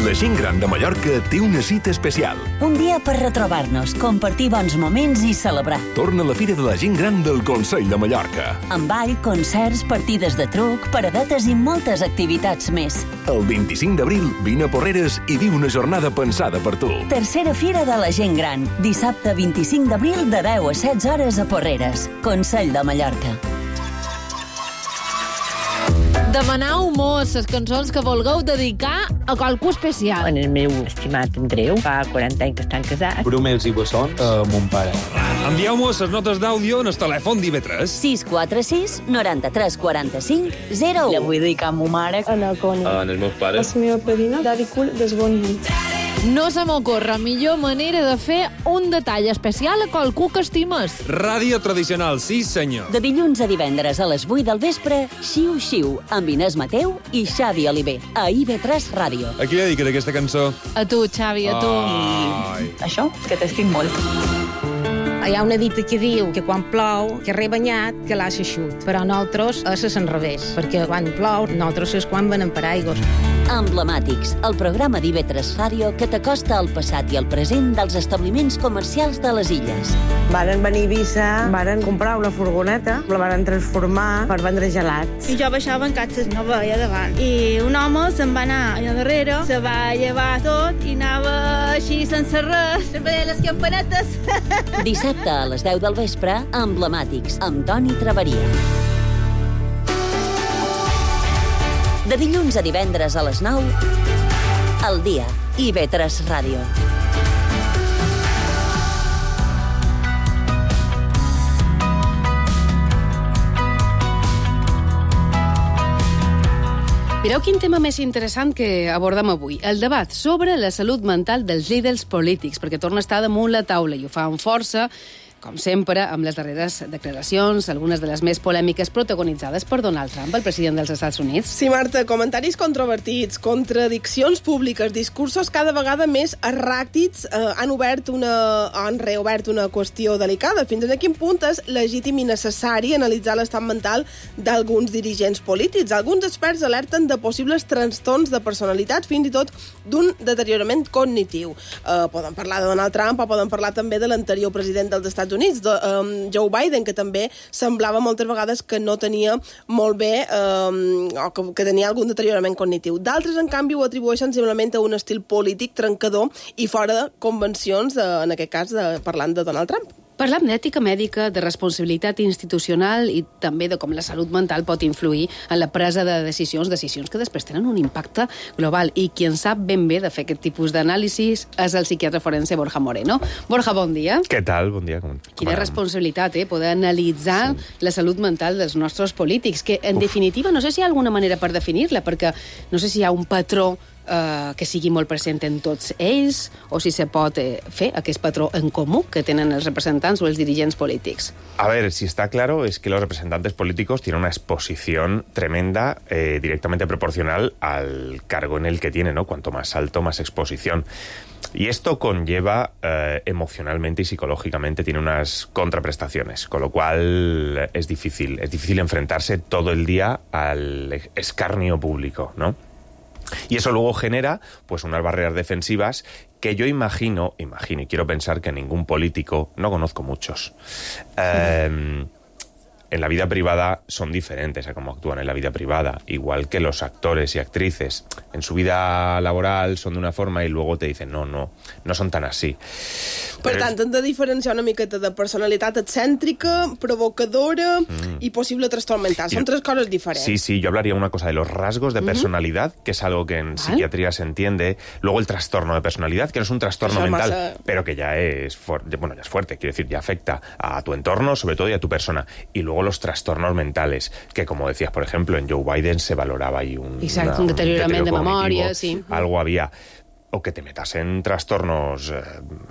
La gent gran de Mallorca té una cita especial. Un dia per retrobar-nos, compartir bons moments i celebrar. Torna la Fira de la Gent Gran del Consell de Mallorca. Amb ball, concerts, partides de truc, paradetes i moltes activitats més. El vint-i-cinc d'abril vine a Porreres i viu una jornada pensada per tu. Tercera Fira de la Gent Gran, dissabte vint-i-cinc d'abril de deu a setze hores a Porreres. Consell de Mallorca. Demaneu-mos les cançons que vulgueu dedicar a qualcú especial. En el meu estimat Andreu, fa quaranta anys que estan casats. Brumels i bessons a mon pare. Envieu-nos les notes d'àudio en el telèfon d'I V tres. sis quatre sis, noranta-tres, quaranta-cinc, zero u. La vull dedicar a ma mare. A la Connie. En els meus pares. A la meva padrina, Daddy Cool, des Bon Nit. No se m'ocorre millor manera de fer un detall especial a qualcú que estimes. Ràdio tradicional, sí senyor. De dilluns a divendres a les vuit del vespre, Xiu Xiu, amb Inés Mateu i Xavi Oliver, a I V tres Ràdio. A qui li dediques aquesta cançó? A tu, Xavi, a tu. Ai. Això, que t'estic molt. Hi ha una dita que diu que quan plou, que re banyat, que l'ha eixut. Però nosaltres és al revés, perquè quan plou, nosaltres és quan venem paraigües. Emblemàtics, el programa d'I V tres Ràdio que t'acosta al passat i al present dels establiments comercials de les illes. Varen venir a Eivissa, varen comprar una furgoneta, la varen transformar per vendre gelats. I jo baixava en catxes, no veia davant. I un home se'n va anar allà darrere, se va llevar tot i anava així sense res, se veia les campanetes. Dissabte a les deu del vespre, Emblemàtics, amb Toni Traveria. De dilluns a divendres a les nou, al dia, I V tres Ràdio. Mireu quin tema més interessant que abordem avui. El debat sobre la salut mental dels líders polítics, perquè torna a estar damunt la taula i ho fa amb força, com sempre, amb les darreres declaracions, algunes de les més polèmiques protagonitzades per Donald Trump, el president dels Estats Units. Sí, Marta, comentaris controvertits, contradiccions públiques, discursos cada vegada més erràtics, eh, han obert una, han reobert una qüestió delicada. Fins a quin punt és legítim i necessari analitzar l'estat mental d'alguns dirigents polítics? Alguns experts alerten de possibles trastorns de personalitat, fins i tot d'un deteriorament cognitiu. Eh, poden parlar de Donald Trump o poden parlar també de l'anterior president dels Estats Units, de, um, Joe Biden, que també semblava moltes vegades que no tenia molt bé um, o que, que tenia algun deteriorament cognitiu. D'altres, en canvi, ho atribueixen simplement a un estil polític trencador i fora de convencions, de, en aquest cas, de, parlant de Donald Trump. Parlam d'ètica mèdica, de responsabilitat institucional i també de com la salut mental pot influir en la presa de decisions, decisions que després tenen un impacte global. I qui en sap ben bé de fer aquest tipus d'anàlisis és el psiquiatre forense Borja Moreno. Borja, bon dia. Què tal? Bon dia. Com, com Quina responsabilitat, eh? Poder analitzar sí. la salut mental dels nostres polítics, que en Uf. definitiva no sé si hi ha alguna manera per definir-la, perquè no sé si hi ha un patró eh, que sigui molt present en tots ells, o si se pot eh, fer aquest patró en comú que tenen els representants o els dirigents polítics. A ver, si está claro es que los representantes políticos tienen una exposición tremenda, eh, directamente proporcional al cargo en el que tienen, ¿no? Cuanto más alto, más exposición. Y esto conlleva eh, emocionalmente y psicológicamente, tiene unas contraprestaciones, con lo cual es difícil, es difícil enfrentarse todo el día al escarnio público, ¿no? Y eso luego genera pues unas barreras defensivas que yo imagino, imagino y quiero pensar que ningún político, no conozco muchos, eh, en la vida privada son diferentes a cómo actúan en la vida privada, igual que los actores y actrices. En su vida laboral son de una forma y luego te dicen no, no, no son tan así. Per Però tant, hem de diferenciar una miqueta de personalitat excèntrica, provocadora mm. y posible trastorn mental. Son tres cosas diferentes. Sí, sí, yo hablaría una cosa de los rasgos de personalidad, uh-huh. que es algo que en ¿Vale? psiquiatría se entiende. Luego el trastorno de personalidad, que no es un trastorno Eso mental, masa... pero que ya es, fuerte, bueno, ya es fuerte, quiero decir, ya afecta a tu entorno, sobre todo, y a tu persona. Y luego los trastornos mentales, que como decías, por ejemplo, en Joe Biden se valoraba ahí un, Exacto, una, un deteriorament un de memòria, sí. Algo había. O que te metas en trastornos eh,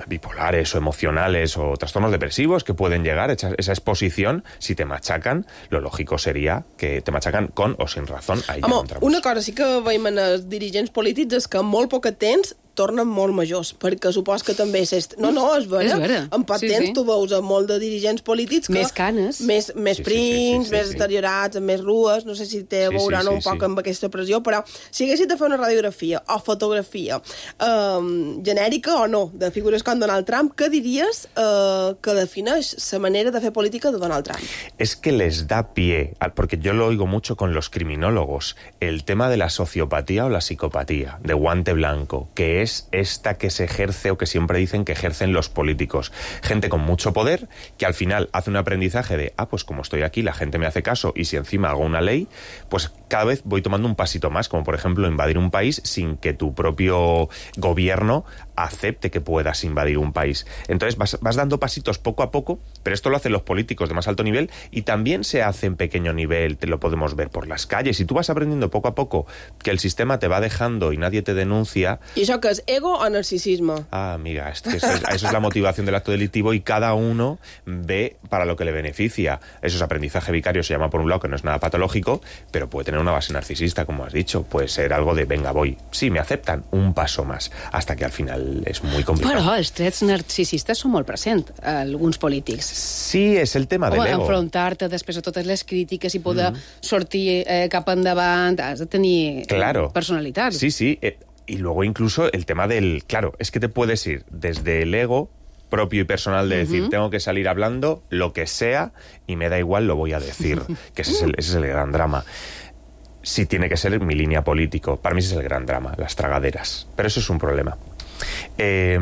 bipolares o emocionales o trastornos depresivos que pueden llegar, esa, esa exposición, si te machacan, lo lògico seria que te machacan con o sin razón. Ahí Home, una cosa sí que veiem en els dirigents polítics és que en molt poc temps tornen molt majors, perquè supos que també és... No, no, és vera. És vera. En poc sí, temps sí. tu veus a molt de dirigents polítics que... Més canes. Més, més sí, prims, sí, sí, sí, més sí. deteriorats, amb més rues, no sé si té a Sí, veure sí, no, sí, un poc sí. amb aquesta pressió, però si haguessis de fer una radiografia o fotografia eh, genèrica o no de figures com Donald Trump, què diries eh, que defineix la manera de fer política de Donald Trump? Es que les da pie, porque yo lo oigo mucho con los criminólogos, el tema de la sociopatía o la psicopatía, de guante blanco, que es esta que se ejerce o que siempre dicen que ejercen los políticos. Gente con mucho poder que al final hace un aprendizaje de, ah, pues como estoy aquí, la gente me hace caso y si encima hago una ley, pues cada vez voy tomando un pasito más, como por ejemplo invadir un país sin que tu propio gobierno acepte que puedas invadir un país. Entonces vas, vas dando pasitos poco a poco, pero esto lo hacen los políticos de más alto nivel y también se hace en pequeño nivel, te lo podemos ver por las calles. Y tú vas aprendiendo poco a poco que el sistema te va dejando y nadie te denuncia. ¿Y eso qué es? ¿Ego o narcisismo? Ah, amiga, es que eso, es, eso es la motivación del acto delictivo y cada uno ve para lo que le beneficia. Eso es aprendizaje vicario, se llama por un lado, que no es nada patológico, pero puede tener una base narcisista, como has dicho. Puede ser algo de, venga, voy. Sí, me aceptan, un paso más, hasta que al final es muy complicado. Però els trets narcisistes són molt presents a alguns polítics. Sí, és el tema de l'ego. Enfrontar-te després a totes les crítiques i poder mm. sortir eh, cap endavant, has de tenir claro. personalitat. Sí, sí, eh, y luego incluso el tema del... Claro, es que te puedes ir desde el ego propio y personal de decir, uh-huh. tengo que salir hablando lo que sea y me da igual, lo voy a decir, que ese es el, ese es el gran drama. Sí, tiene que ser mi línea político. Para mí ese es el gran drama, las tragaderas. Pero eso es un problema. Eh,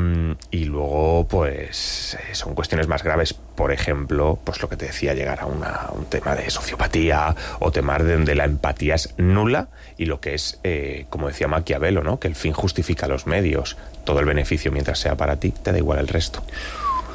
y luego, pues, eh, son cuestiones más graves. Por ejemplo, pues lo que te decía, llegar a una, un tema de sociopatía o temas de donde la empatía es nula y lo que es, eh, como decía Maquiavelo, ¿no? Que el fin justifica los medios. Todo el beneficio, mientras sea para ti, te da igual el resto.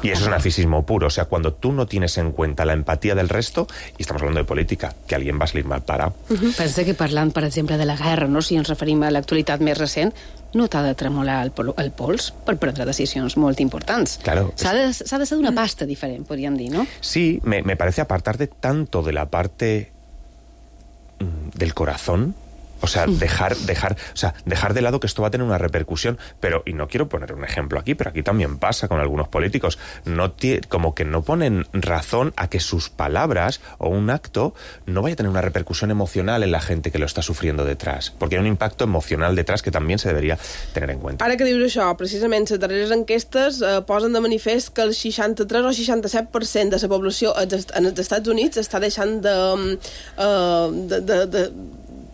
Y eso es narcisismo puro. O sea, cuando tú no tienes en cuenta la empatía del resto, y estamos hablando de política, que alguien va a salir mal parado. Uh-huh. Pensa que parlant, per exemple, de la guerra, no? Si ens referim a l'actualitat més recent, no t'ha de tremolar el, pol el pols per prendre decisions molt importants. Claro. S'ha de, s'ha de ser d'una pasta diferent, podríem dir, ¿no? Sí, me, me parece apartarte tanto de la parte mm, del corazón. O sea, dejar, dejar, o sea, dejar de lado que esto va a tener una repercusión, pero, y no quiero poner un ejemplo aquí, pero aquí también pasa con algunos políticos, no como que no ponen razón a que sus palabras o un acto no vaya a tener una repercusión emocional en la gente que lo está sufriendo detrás, porque hay un impacto emocional detrás que también se debería tener en cuenta. Ara que dius això, precisament les darreres enquestes eh, posen de manifest que el seixanta-tres o seixanta-set per cent de la població en els Estats Units està deixant de... Eh, de, de, de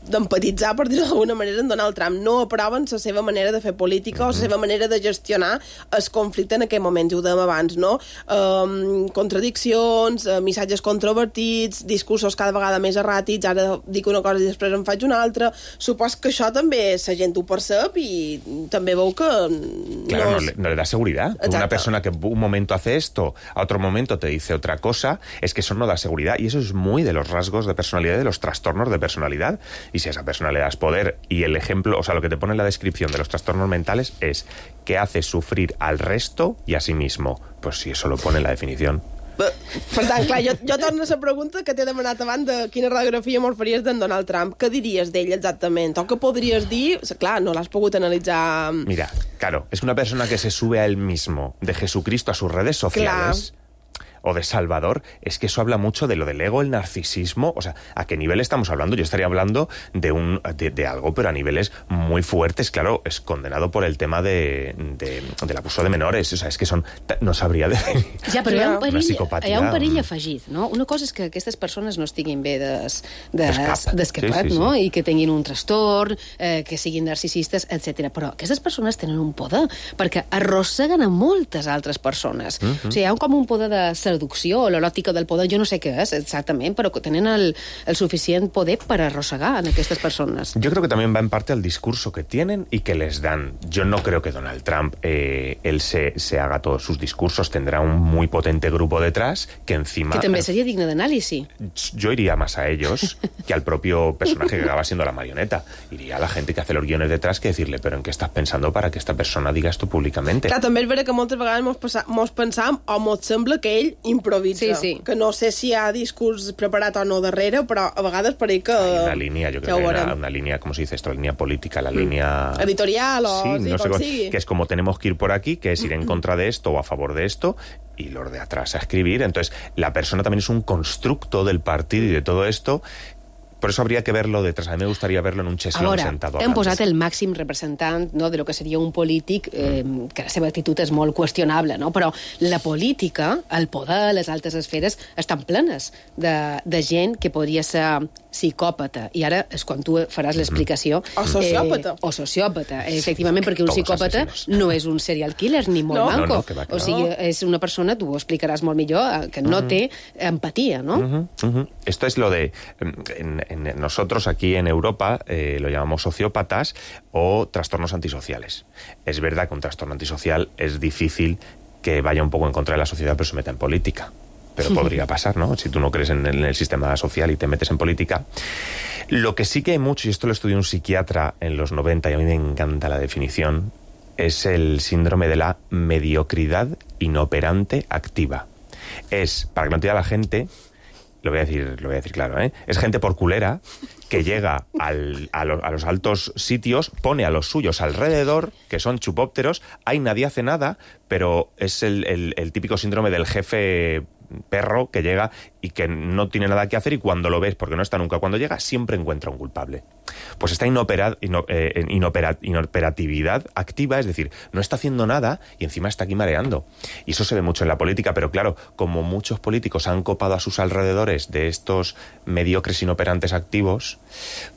d'empatitzar, per dir-ho d'alguna manera, en Donald Trump. No aproven la seva manera de fer política mm-hmm. o la seva manera de gestionar el conflicte en aquest moment, ja ho dèiem abans, no? Um, contradiccions, uh, missatges controvertits, discursos cada vegada més erràtics, ara dic una cosa i després en faig una altra. Supos que això també la gent ho percep i també veu que... Claro, no, no, le, no le da seguridad. Exacto. Una persona que un momento hace esto, a otro momento te dice otra cosa, es que eso no da seguridad y eso es muy de los rasgos de personalidad, de los trastornos de personalidad. Y si a esa persona le das poder y el ejemplo, o sea, lo que te pone en la descripción de los trastornos mentales es que hace sufrir al resto y a sí mismo. Pues si eso lo pone en la definición. Per tant, clar, jo, jo torno a la pregunta que t'he demanat abans de quina radiografia mos faries d'en Donald Trump. Què diries d'ell exactament? O què podries dir? Clar, no l'has pogut analitzar... Mira, claro, es una persona que se sube a él mismo, de Jesucristo a sus redes sociales... Clar. O de Salvador, es que eso habla mucho de lo del ego, el narcisismo, o sea, ¿a qué nivel estamos hablando? Yo estaría hablando de un de, de algo, pero a niveles muy fuertes. Claro, es condenado por el tema de, de, del abuso de menores, o sea, es que son... No sabria definir. Ja, però hi ha un perill, hi ha un perill afegit, no? Una cosa és que aquestes persones no estiguin bé d'escapat, des, sí, sí, no? Sí. I que tinguin un trastorn, eh, que siguin narcisistes, etcètera. Però aquestes persones tenen un poder, perquè arrosseguen a moltes altres persones. Mm-hmm. O sigui, hi ha com un poder de seducció o l'eròtica del poder, jo no sé què és exactament, però que tenen el, el suficient poder per arrossegar en aquestes persones. Yo creo que también va en parte al discurso que tienen y que les dan. Yo no creo que Donald Trump, eh, él se, se haga todos sus discursos, tendrá un muy potente grupo detrás que encima... Que també seria digne d'anàlisi. Yo iría más a ellos que al propio personaje que acaba siendo la marioneta. Iría a la gente que hace los guiones detrás que decirle, pero ¿en qué estás pensando para que esta persona diga esto públicamente? Clar, també és vera que moltes vegades mos, passa, mos pensam o mos sembla que ell improvisa. Sí, sí. Que no sé si hi ha discurs preparat o no darrere, però a vegades pareix que... Hay una línea, yo creo que hay una, una línea, ¿cómo se dice esto? La línea política, la mm. línea... Editorial o... Sí, sí, no sé com cómo, sigui. Que es como tenemos que ir por aquí, que es ir en contra de esto o a favor de esto, y los de atrás a escribir. Entonces, la persona también es un constructo del partido y de todo esto. Por eso habría que verlo detrás. A mí me gustaría verlo en un cheslón sentado. Hem posat el màxim representant, no, de lo que seria un polític, eh, que la seva actitud és molt qüestionable, no? Però la política, el poder, les altes esferes, estan plenes de, de gent que podria ser psicòpata. I ara és quan tu faràs l'explicació. O sociòpata. Eh, o sociòpata, efectivament, perquè un psicòpata no és un serial killer ni molt no? manco. No, no, que va, que o sigui, és una persona, tu ho explicaràs molt millor, que no té empatia, no? Uh-huh, uh-huh. Esto es lo de... En, en nosotros aquí en Europa eh, lo llamamos sociópatas o trastornos antisociales. Es verdad que un trastorno antisocial es difícil que vaya un poco en contra de la sociedad, pero se meta en política. Pero podría pasar, ¿no? Si tú no crees en el, en el sistema social y te metes en política. Lo que sí que hay mucho, y esto lo estudió un psiquiatra en los noventa, y a mí me encanta la definición, es el síndrome de la mediocridad inoperante activa. Es, para que lo entienda la gente... Lo voy a decir, lo voy a decir claro, ¿eh? Es gente por culera que llega al, a, lo, a los altos sitios, pone a los suyos alrededor, que son chupópteros, ahí nadie hace nada, pero es el, el, el típico síndrome del jefe perro que llega y que no tiene nada que hacer y cuando lo ves, porque no está nunca, cuando llega siempre encuentra un culpable. Pues esta inopera, ino, eh, inopera, inoperatividad activa, es decir, no está haciendo nada y encima está aquí mareando. Y eso se ve mucho en la política, pero claro, como muchos políticos han copado a sus alrededores de estos mediocres inoperantes activos,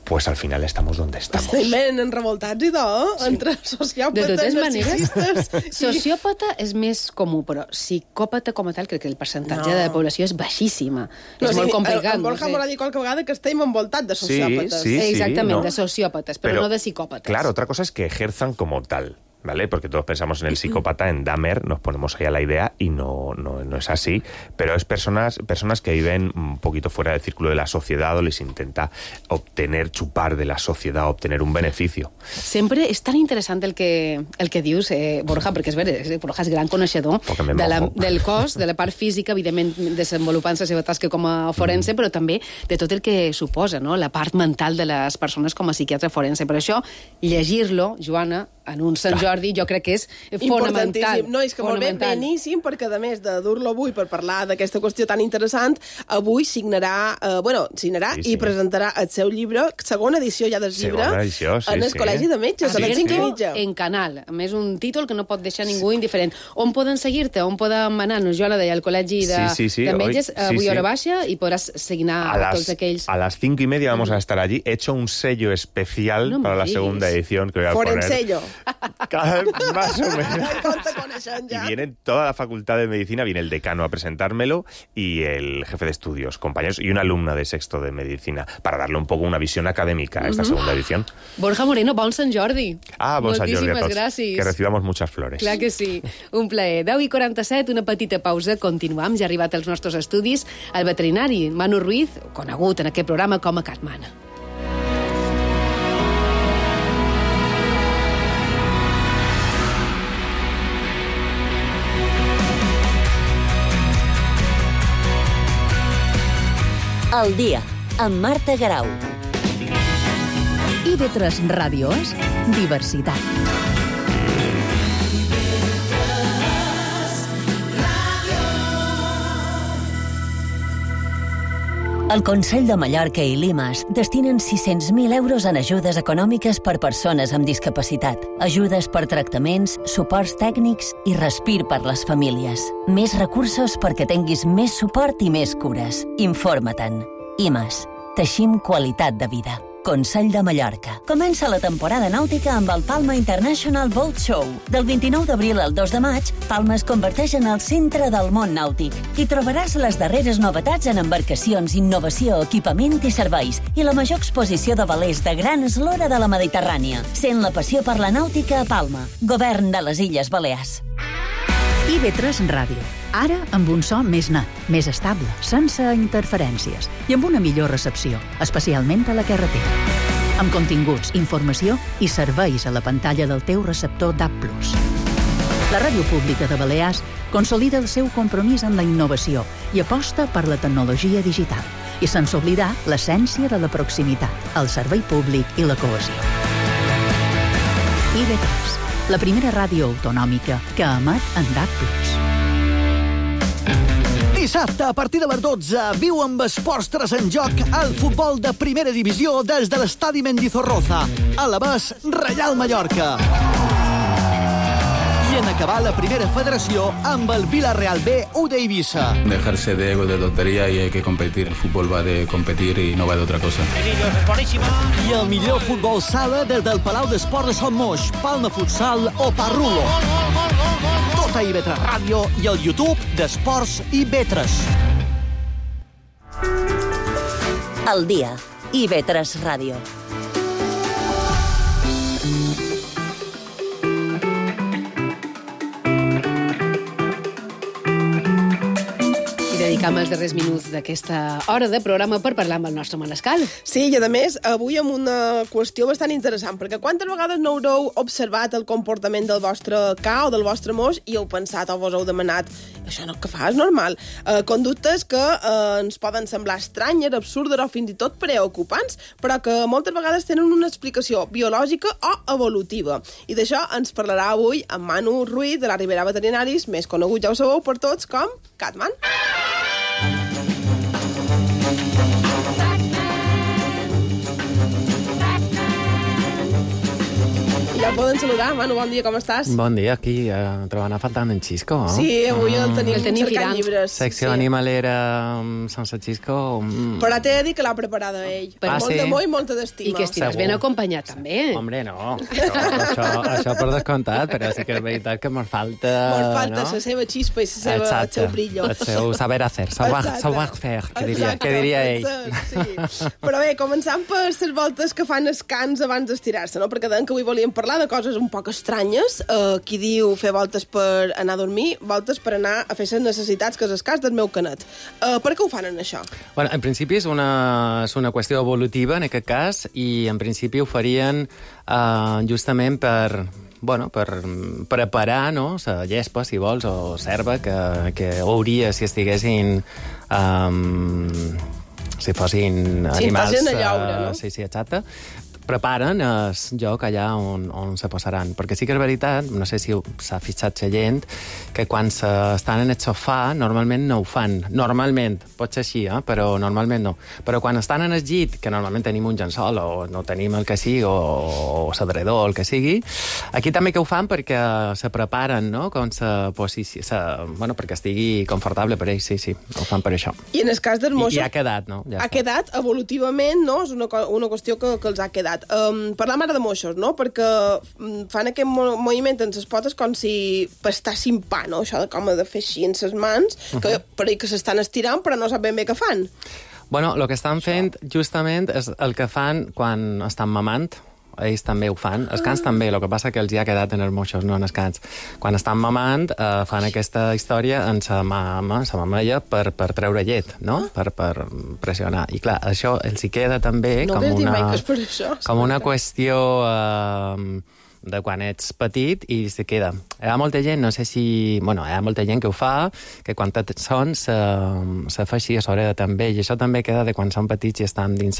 pues al final estamos donde estamos. Estem revoltats i tot, sí. Entre sociòpates, de totes maneres, narcisistes... sociòpata és més comú, però psicòpata com a tal, crec que el percentatge no. de població és baixíssima. No, és sí, molt complicat. En Borja no sé. m'ha dit qualque vegada que estem envoltats de sociòpates. Sí, sí, Exactament, sí, no. de sociòpates, però, però no de psicòpates. Claro, otra cosa es que ejerzan como tal. ¿Vale? Porque todos pensamos en el psicópata, en Dahmer, nos ponemos ahí a la idea y no, no, no es así. Pero es personas, personas que viven un poquito fuera del círculo de la sociedad o les intenta obtener, chupar de la sociedad, obtener un beneficio. Sempre és tan interessant el que, el que dius, eh, Borja, perquè és veritat, Borja és gran coneixedor de la, del cos, de la part física, evidentment desenvolupant la seva tasca com a forense, mm. però també de tot el que suposa, no? La part mental de les persones com a psiquiatre forense. Per això, llegir-lo, Joana, en un Sant Jordi, jo crec que és fonamental. No, és que molt bé, beníssim, perquè a més de dur-lo avui per parlar d'aquesta qüestió tan interessant, avui signarà, eh, bueno, signarà sí, sí. i presentarà el seu llibre, segona edició ja del llibre, edició, sí, en el sí. Col·legi de Metges, a les cinc i mitja. En Canal, a més un títol que no pot deixar ningú indiferent. On poden seguir-te? On poden anar-nos? Jo la deia al Col·legi de, sí, sí, sí. de Metges, Hoy, avui sí, hora sí. baixa, i podràs signar a, a las, tots aquells... A las cinco y media vamos a estar allí. He hecho un sello especial no para la digas. segunda edición que voy a Forensello. poner. Cada más o menos. Y viene toda la facultad de medicina, viene el decano a presentármelo y el jefe de estudios, compañeros, y una alumna de sexto de medicina, para darle un poco una visión académica a esta uh-huh. segunda edición. Borja Moreno, bon Sant Jordi. Ah, bon Sant Jordi a tots. Gràcies. Que recibamos muchas flores. Clar que sí. Un plaer. deu i quaranta-set, una petita pausa. Continuam. Ja ha arribat als nostres estudis el veterinari Manu Ruiz, conegut en aquest programa com a Catmana. El dia, amb Marta Garau. I ve tres ràdios, diversitat. El Consell de Mallorca i l'Imas destinen sis-cents mil euros en ajudes econòmiques per persones amb discapacitat, ajudes per tractaments, suports tècnics i respir per les famílies. Més recursos perquè tinguis més suport i més cures. Informa-te'n. Imas. Teixim qualitat de vida. Consell de Mallorca. Comença la temporada nàutica amb el Palma International Boat Show. Del vint-i-nou d'abril al dos de maig, Palma es converteix en el centre del món nàutic. Hi trobaràs les darreres novetats en embarcacions, innovació, equipament i serveis i la major exposició de velers de gran eslora de la Mediterrània. Sent la passió per la nàutica a Palma. Govern de les Illes Balears. I ve tres Ràdio. Ara amb un so més net, més estable, sense interferències i amb una millor recepció, especialment a la carretera. Amb continguts, informació i serveis a la pantalla del teu receptor D A B plus. La Ràdio Pública de Balears consolida el seu compromís amb la innovació i aposta per la tecnologia digital i sense oblidar l'essència de la proximitat, el servei públic i la cohesió. I ve tres, la primera ràdio autonòmica que emet en D A B plus. Dissabte, a partir de les dotze, viu amb Esports tres en joc el futbol de primera divisió des de l'estadi Mendizorroza. A la vez, Reial Mallorca. I en acabar la primera federació amb el Villarreal B u d'Eivissa. Dejarse de ego, de tontería y hay que competir. El fútbol va de competir y no va de otra cosa. I el millor futbol sala des del Palau d'Esports de Sant Moix, Palma Futsal o Parrulo. Tot a I V tres Ràdio i el YouTube d'Esports I V tres. El dia, I V tres Ràdio. Dedicam els darrers minuts d'aquesta hora de programa per parlar amb el nostre Manescal. Sí, i a més, avui amb una qüestió bastant interessant, perquè quantes vegades no haureu observat el comportament del vostre ca o del vostre moix i heu pensat o vos heu demanat això no que fa, és normal. Eh, conductes que eh, ens poden semblar estranyes, absurdes o fins i tot preocupants, però que moltes vegades tenen una explicació biològica o evolutiva. I d'això ens parlarà avui en Manu Ruiz, de la Ribera Veterinaris, més conegut, ja ho sabeu, per tots com Catman. Ja el poden saludar. Manu, bon dia, com estàs? Bon dia, aquí uh, trobant a faltant en Xisco. No? Sí, avui el tenim, el tenim cercant llibres. Secció sí. Animalera um, sense Xisco. Um... Però t'he de dir que l'ha preparada ell. Per ah, molt sí? d'amor i molta d'estima. I que estigues ben acompanyat, també. Hombre, no. Això, això, això per descomptat, però sí que és veritat que mos falta... Mos falta no? la seva xispa i la seva, el seu brillo. El seu saber hacer, saber fer, que diria, que diria ell. Sí. Però bé, començant per les voltes que fan escans abans d'estirar-se, no? Perquè deien que avui volíem parlar de coses un poc estranyes. Uh, qui diu fer voltes per anar a dormir, voltes per anar a fer les necessitats, que és el cas del meu canet. Uh, per què ho fan en això? Bueno, en principi és una, és una qüestió evolutiva, en aquest cas, i en principi ho farien uh, justament per... Bueno, per preparar, no?, la llespa, si vols, o serva que, que hauria si estiguessin... Um, si fossin animals... Si estàs en la llaura, no? Uh, sí, sí, exacte. Preparen el lloc allà on, on se posaran. Perquè sí que és veritat, no sé si s'ha fixat la gent, que quan estan en el sofà normalment no ho fan. Normalment, pot ser així, eh? Però normalment no. Però quan estan en el llit, que normalment tenim un llençol o no tenim el que sigui, o, o s'adredor, el que sigui, aquí també que ho fan perquè se preparen, no?, com se posici... se, bueno, perquè estigui confortable per ells, sí, sí, ho fan per això. I en el cas dels moixos... I, i ha quedat, no? Ja ha està. Quedat evolutivament, no? És una, una qüestió que, que els ha quedat. Um, parlam ara de moixos, no? Perquè fan aquest mo moviment en les potes com si pastassin pa, no? Això de com de fer així en les mans, uh -huh. que, per que s'estan estirant però no sap ben bé què fan. Bueno, el que estan fent justament és el que fan quan estan mamant. Ells també ho fan. Els cans ah. també, el que passa que els hi ha quedat en els moixos, no en els cans. Quan estan mamant, eh, fan aquesta història en sa mama, sa mamella, per, per treure llet, no? Ah. Per, per pressionar. I clar, això els hi queda també no com una, per això, com una qüestió... Eh, de quan ets petit i se queda. Hi ha molta gent, no sé si... Bueno, hi ha molta gent que ho fa, que quan són se, se fa així a sobre també, i això també queda de quan són petits i estan dins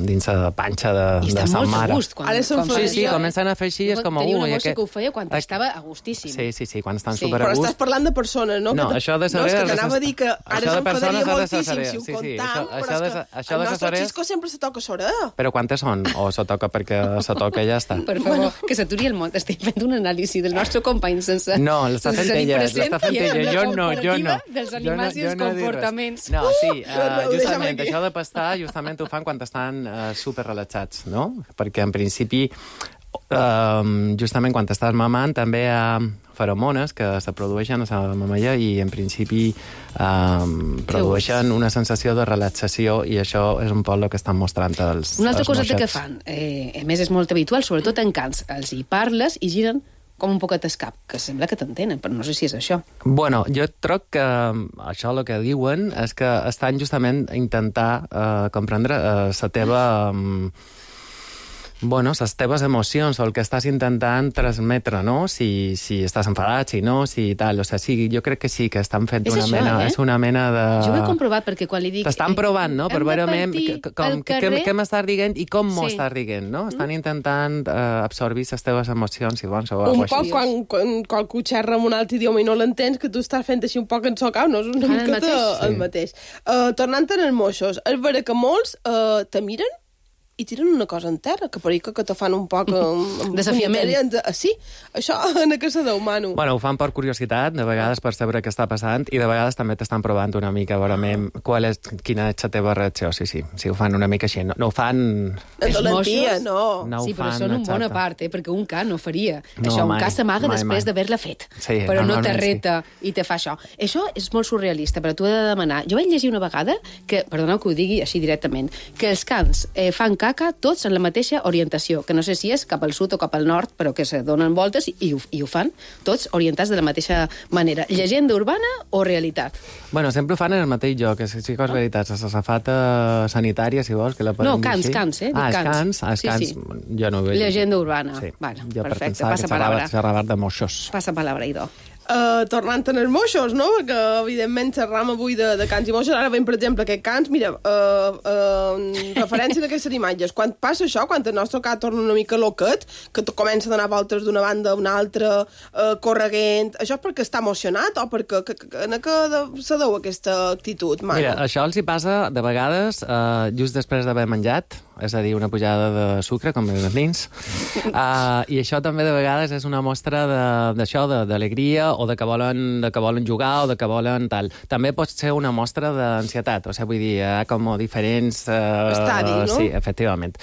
dins la panxa de, de sa mare. I està molt a gust. Quan, Ara són com sí, sí, comencen a fer així, és com... Tenia una ui, mossa que... que ho feia quan estava a gustíssim. Sí, sí, sí, quan estan Sí. super a Però gust. estàs parlant de persones, no? No, que això de No, és que saber- t'anava a dir que ara això de s'enfadaria persones ha de moltíssim saber, si ho sí, sí, contam, això- però això és de que sa- això el de nostre saber- Xisco sempre se toca soreda. Però quantes són? O se toca perquè se toca i ja està? Per favor, que s'aturi el món. Estic fent un anàlisi del nostre company sense... No, l'està fent sense tenir ella, present l'està fent i amb ella. la Jo no, jo no. comparativa dels Jo no- animals i jo els no he dit res. comportaments. No, sí, Uh, uh, ho deixem justament, aquí. això de pastar, justament ho fan quan estan uh, super relaxats, no? Perquè, en principi, uh, justament quan estàs mamant, també hi ha feromones que se produeixen a la mamella i, en principi, um, produeixen una sensació de relaxació i això és un poc el que estan mostrant els Una altra els coseta que moixets. fan, eh, a més és molt habitual, sobretot en cants, els hi parles i giren com un poquet escap, que sembla que t'entenen, però no sé si és això. Bueno, jo troc que um, això el que diuen és que estan justament a intentar uh, comprendre uh, la teva... Um, bueno, les teves emocions o el que estàs intentant transmetre, no? Si, si estàs enfadat, si no, si tal. O sigui, sí, jo crec que sí, que estan fent És una això, mena... eh? És una mena de... Jo ho he comprovat perquè quan li dic... T'estan provant, no? Per hem de veure partir que- com, al què, carrer. què m'estàs dient i com m'ho Sí. estàs dient, no? Estan intentant uh, absorbir les teves emocions, si vols, o Un alguna poc cosa quan, quan qualcú xerra en un altre idioma i no l'entens, que tu estàs fent així un poc ensocau, no? És una Fan el miqueta mateix? el mateix. Uh, tornant en els moixos, és vera que molts uh, te miren i tiren una cosa en terra, que per que, que te fan un poc... Um, Desafiament. Uh, sí, això en què se deu, Manu? Bueno, ho fan per curiositat, de vegades per saber què està passant, i de vegades també t'estan provant una mica, a veure ah. qual és, quina és la teva reacció. Sí, sí, sí, ho fan una mica així. No, no ho fan... En dolentia, no. No ho sí, però fan, són en bona exacte. part, eh? Perquè un ca no faria. No, això, un mai, ca s'amaga mai, després mai. d'haver-la fet. Sí, però no te normalment reta i te fa això. Això és molt surrealista, però t'ho he de demanar. Jo vaig llegir una vegada, que, perdoneu que ho digui així directament, que els cans eh, fan caca tots en la mateixa orientació, que no sé si és cap al sud o cap al nord, però que se donen voltes i, i, ho, i ho fan tots orientats de la mateixa manera. Llegenda urbana o realitat? Bueno, sempre ho fan en el mateix lloc, és sí que és veritat. La safata sanitària, si vols, que la podem No, dir cans, així. cans, eh? Dic Ah, els cans. cans, els Sí, cans, sí. jo no ho he llegit. Llegenda urbana. Sí. Bueno, jo per perfecte, pensar passa que xerrava, palabra. xerrava de moixos. Passa palabra, Idò. Uh, tornant en els moixos, no? Perquè, evidentment, xerram avui de, de cants i moixos. Ara veiem, per exemple, aquest cants, mira, uh, uh, referència a aquestes imatges. Quan passa això, quan el nostre cat torna una mica loquet, que comença a donar voltes d'una banda a una altra, uh, correguent, això és perquè està emocionat o perquè que, que, que, en què de- se deu aquesta actitud, Manu? Mira, això els hi passa de vegades uh, just després d'haver menjat, és a dir, una pujada de sucre, com els nins, uh, i això també de vegades és una mostra de- d'això, de, d'alegria, o de que, volen, de que volen jugar, o de que volen tal. També pot ser una mostra d'ansietat, o sigui, vull dir, hi ha com diferents... Uh, Estadis, no? Sí, efectivament.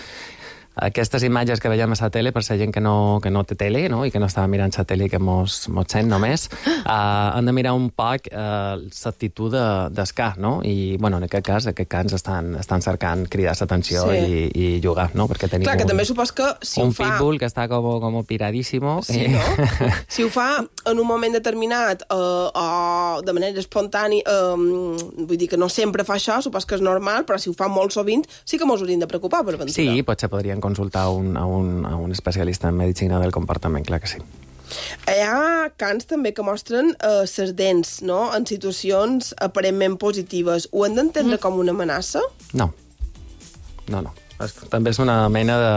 Aquestes imatges que veiem a la tele, per la gent que no, que no té tele, no? I que no està mirant la tele i que mos, mos sent només, uh, han de mirar un poc uh, l'actitud de, d'escar, no? I, bueno, en aquest cas, aquest cas estan, estan cercant cridar l'atenció Sí. i, i jugar, no? Perquè tenim Clar, que un, també supos que si un ho fa... pitbull que està com, com piradíssimo. Sí, no? Si ho fa en un moment determinat eh, o de manera espontània, eh, vull dir que no sempre fa això, supos que és normal, però si ho fa molt sovint, sí que mos hauríem de preocupar per ventura. Sí, potser podrien consultar un, a, un, a un especialista en medicina del comportament, clar que sí. Hi ha cants també que mostren eh, ses dents, no?, en situacions aparentment positives. Ho hem d'entendre mm. com una amenaça? No. No, no. És, també és una mena de,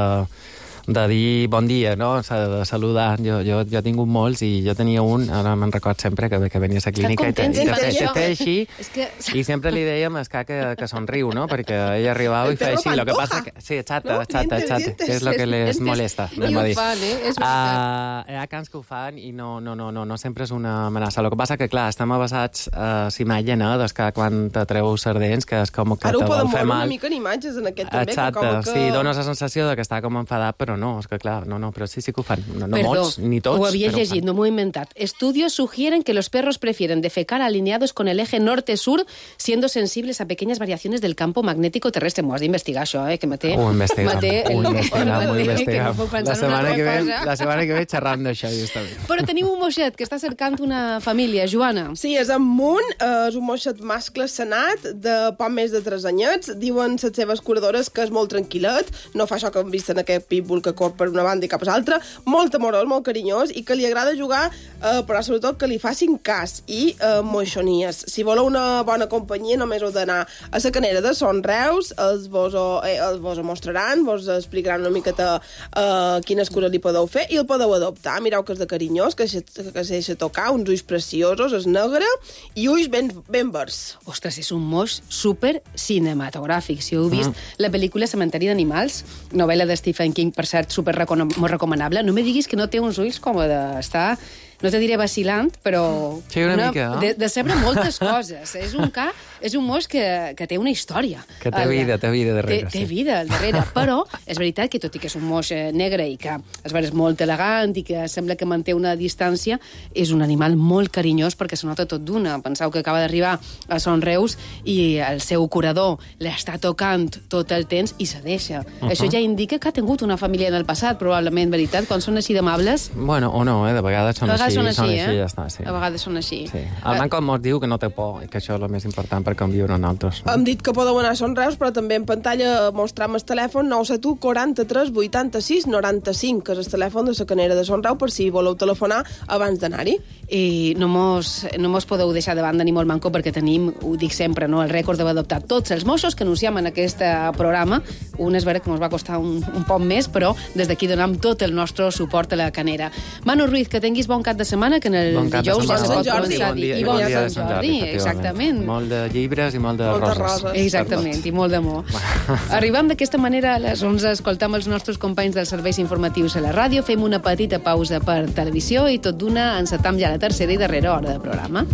de dir bon dia, no? De saludar. Jo, jo, jo he tingut molts i jo tenia un, ara me'n record sempre, que, que venia a la clínica i te, i te, te, te, te així, És que... i sempre li dèiem a Escar que, que somriu, no? Perquè ella arribava i feia així. Lo que passa que... Sí, exacte, No? exacte, Dientes, exacte, dientes. que és el que les És que- molesta. I anem a ho dir. fan, eh? És veritat. Uh, hi ha cants que ho fan i no, no, no, no, no sempre és una amenaça. El que passa que, clar, estem basats a uh, imatge, no? D'escar quan te treu sardents, que és com que Ara ho te podem vol fer veure una mal. mica en imatges en aquest també. Exacte, que com que... sí, dones la sensació de que està com enfadat, però no, és que clar, no, no, però sí, sí que ho fan. No, no Perdó, molts, ni tots. ho havia però ho llegit, fan. no m'ho he inventat. Estudios sugieren que los perros prefieren defecar alineados con el eje norte-sur, siendo sensibles a pequeñas variaciones del campo magnético terrestre. M'ho has d'investigar, això, eh, que me té... Ho investiguem, me té ho el- investiguem, ho que no investiguem. puc pensar La en una setmana altra que ve, cosa. la setmana que ve xerram d'això, justament. Però tenim un moixet que està cercant una família, Joana. Sí, és en Munt, eh, és un moixet mascle senat de poc més de tres anyets. Diuen les seves curadores que és molt tranquil·let, no fa això que hem vist en aquest pitbull que cor per una banda i cap a l'altra, molt amorós, molt carinyós, i que li agrada jugar, eh, però sobretot que li facin cas i eh, moixonies. Si voleu una bona companyia, només heu d'anar a la Canera de Son Reus, els vos ho, eh, els vos ho mostraran, vos explicaran una miqueta eh, quines coses li podeu fer i el podeu adoptar. Mireu que és de carinyós, que, se, que se deixa tocar, uns ulls preciosos, és negre i ulls ben, ben verds. Ostres, és un moix super cinematogràfic. Si heu vist mm. la pel·lícula Cementeri d'Animals, novel·la de Stephen King, per cert, super recom molt recomanable, no me diguis que no té uns ulls com d'estar... No te diré vacilant, però... Sí, una, una mica, no? De, de saber moltes coses. És un ca, és un moix que, que té una història. Que té vida, té vida darrere. Té, té vida al darrere, però és veritat que tot i que és un moix negre i que es veu molt elegant i que sembla que manté una distància, és un animal molt carinyós perquè se nota tot d'una. Penseu que acaba d'arribar a Son Reus i el seu curador l'està tocant tot el temps i se deixa. Uh -huh. Això ja indica que ha tingut una família en el passat, probablement, veritat, quan són així d'amables. Bueno, o no, eh? De vegades són així. Són així, són eh? així, ja està, sí. A vegades són així. Sí. El Manco mos diu que no té por i que això és el més important per conviure en altres. No? Hem dit que podeu anar a Son Reus, però també en pantalla mostram el telèfon nou set u quaranta-tres vuitanta-sis noranta-cinc, que és el telèfon de la Canera de Son Reus, per si voleu telefonar abans d'anar-hi. I no mos, no mos podeu deixar de banda ni molt manco perquè tenim, ho dic sempre, no, el rècord d'haver adoptat tots els moixos que anunciem en aquest programa. Un és vera que ens va costar un, un poc més, però des d'aquí donem tot el nostre suport a la Canera. Manu Ruiz, que tinguis bon cap de setmana, que en el bon dijous ja se pot Jordi. començar a dir. I bon dia de Sant Jordi, exactament. Molt de llibres i molt de Moltes roses. roses. Exactament, i molt d'amor. Arribam d'aquesta manera a les onze, escoltam els nostres companys dels serveis informatius a la ràdio, fem una petita pausa per televisió i tot d'una encetam ja la tercera i darrera hora de programa.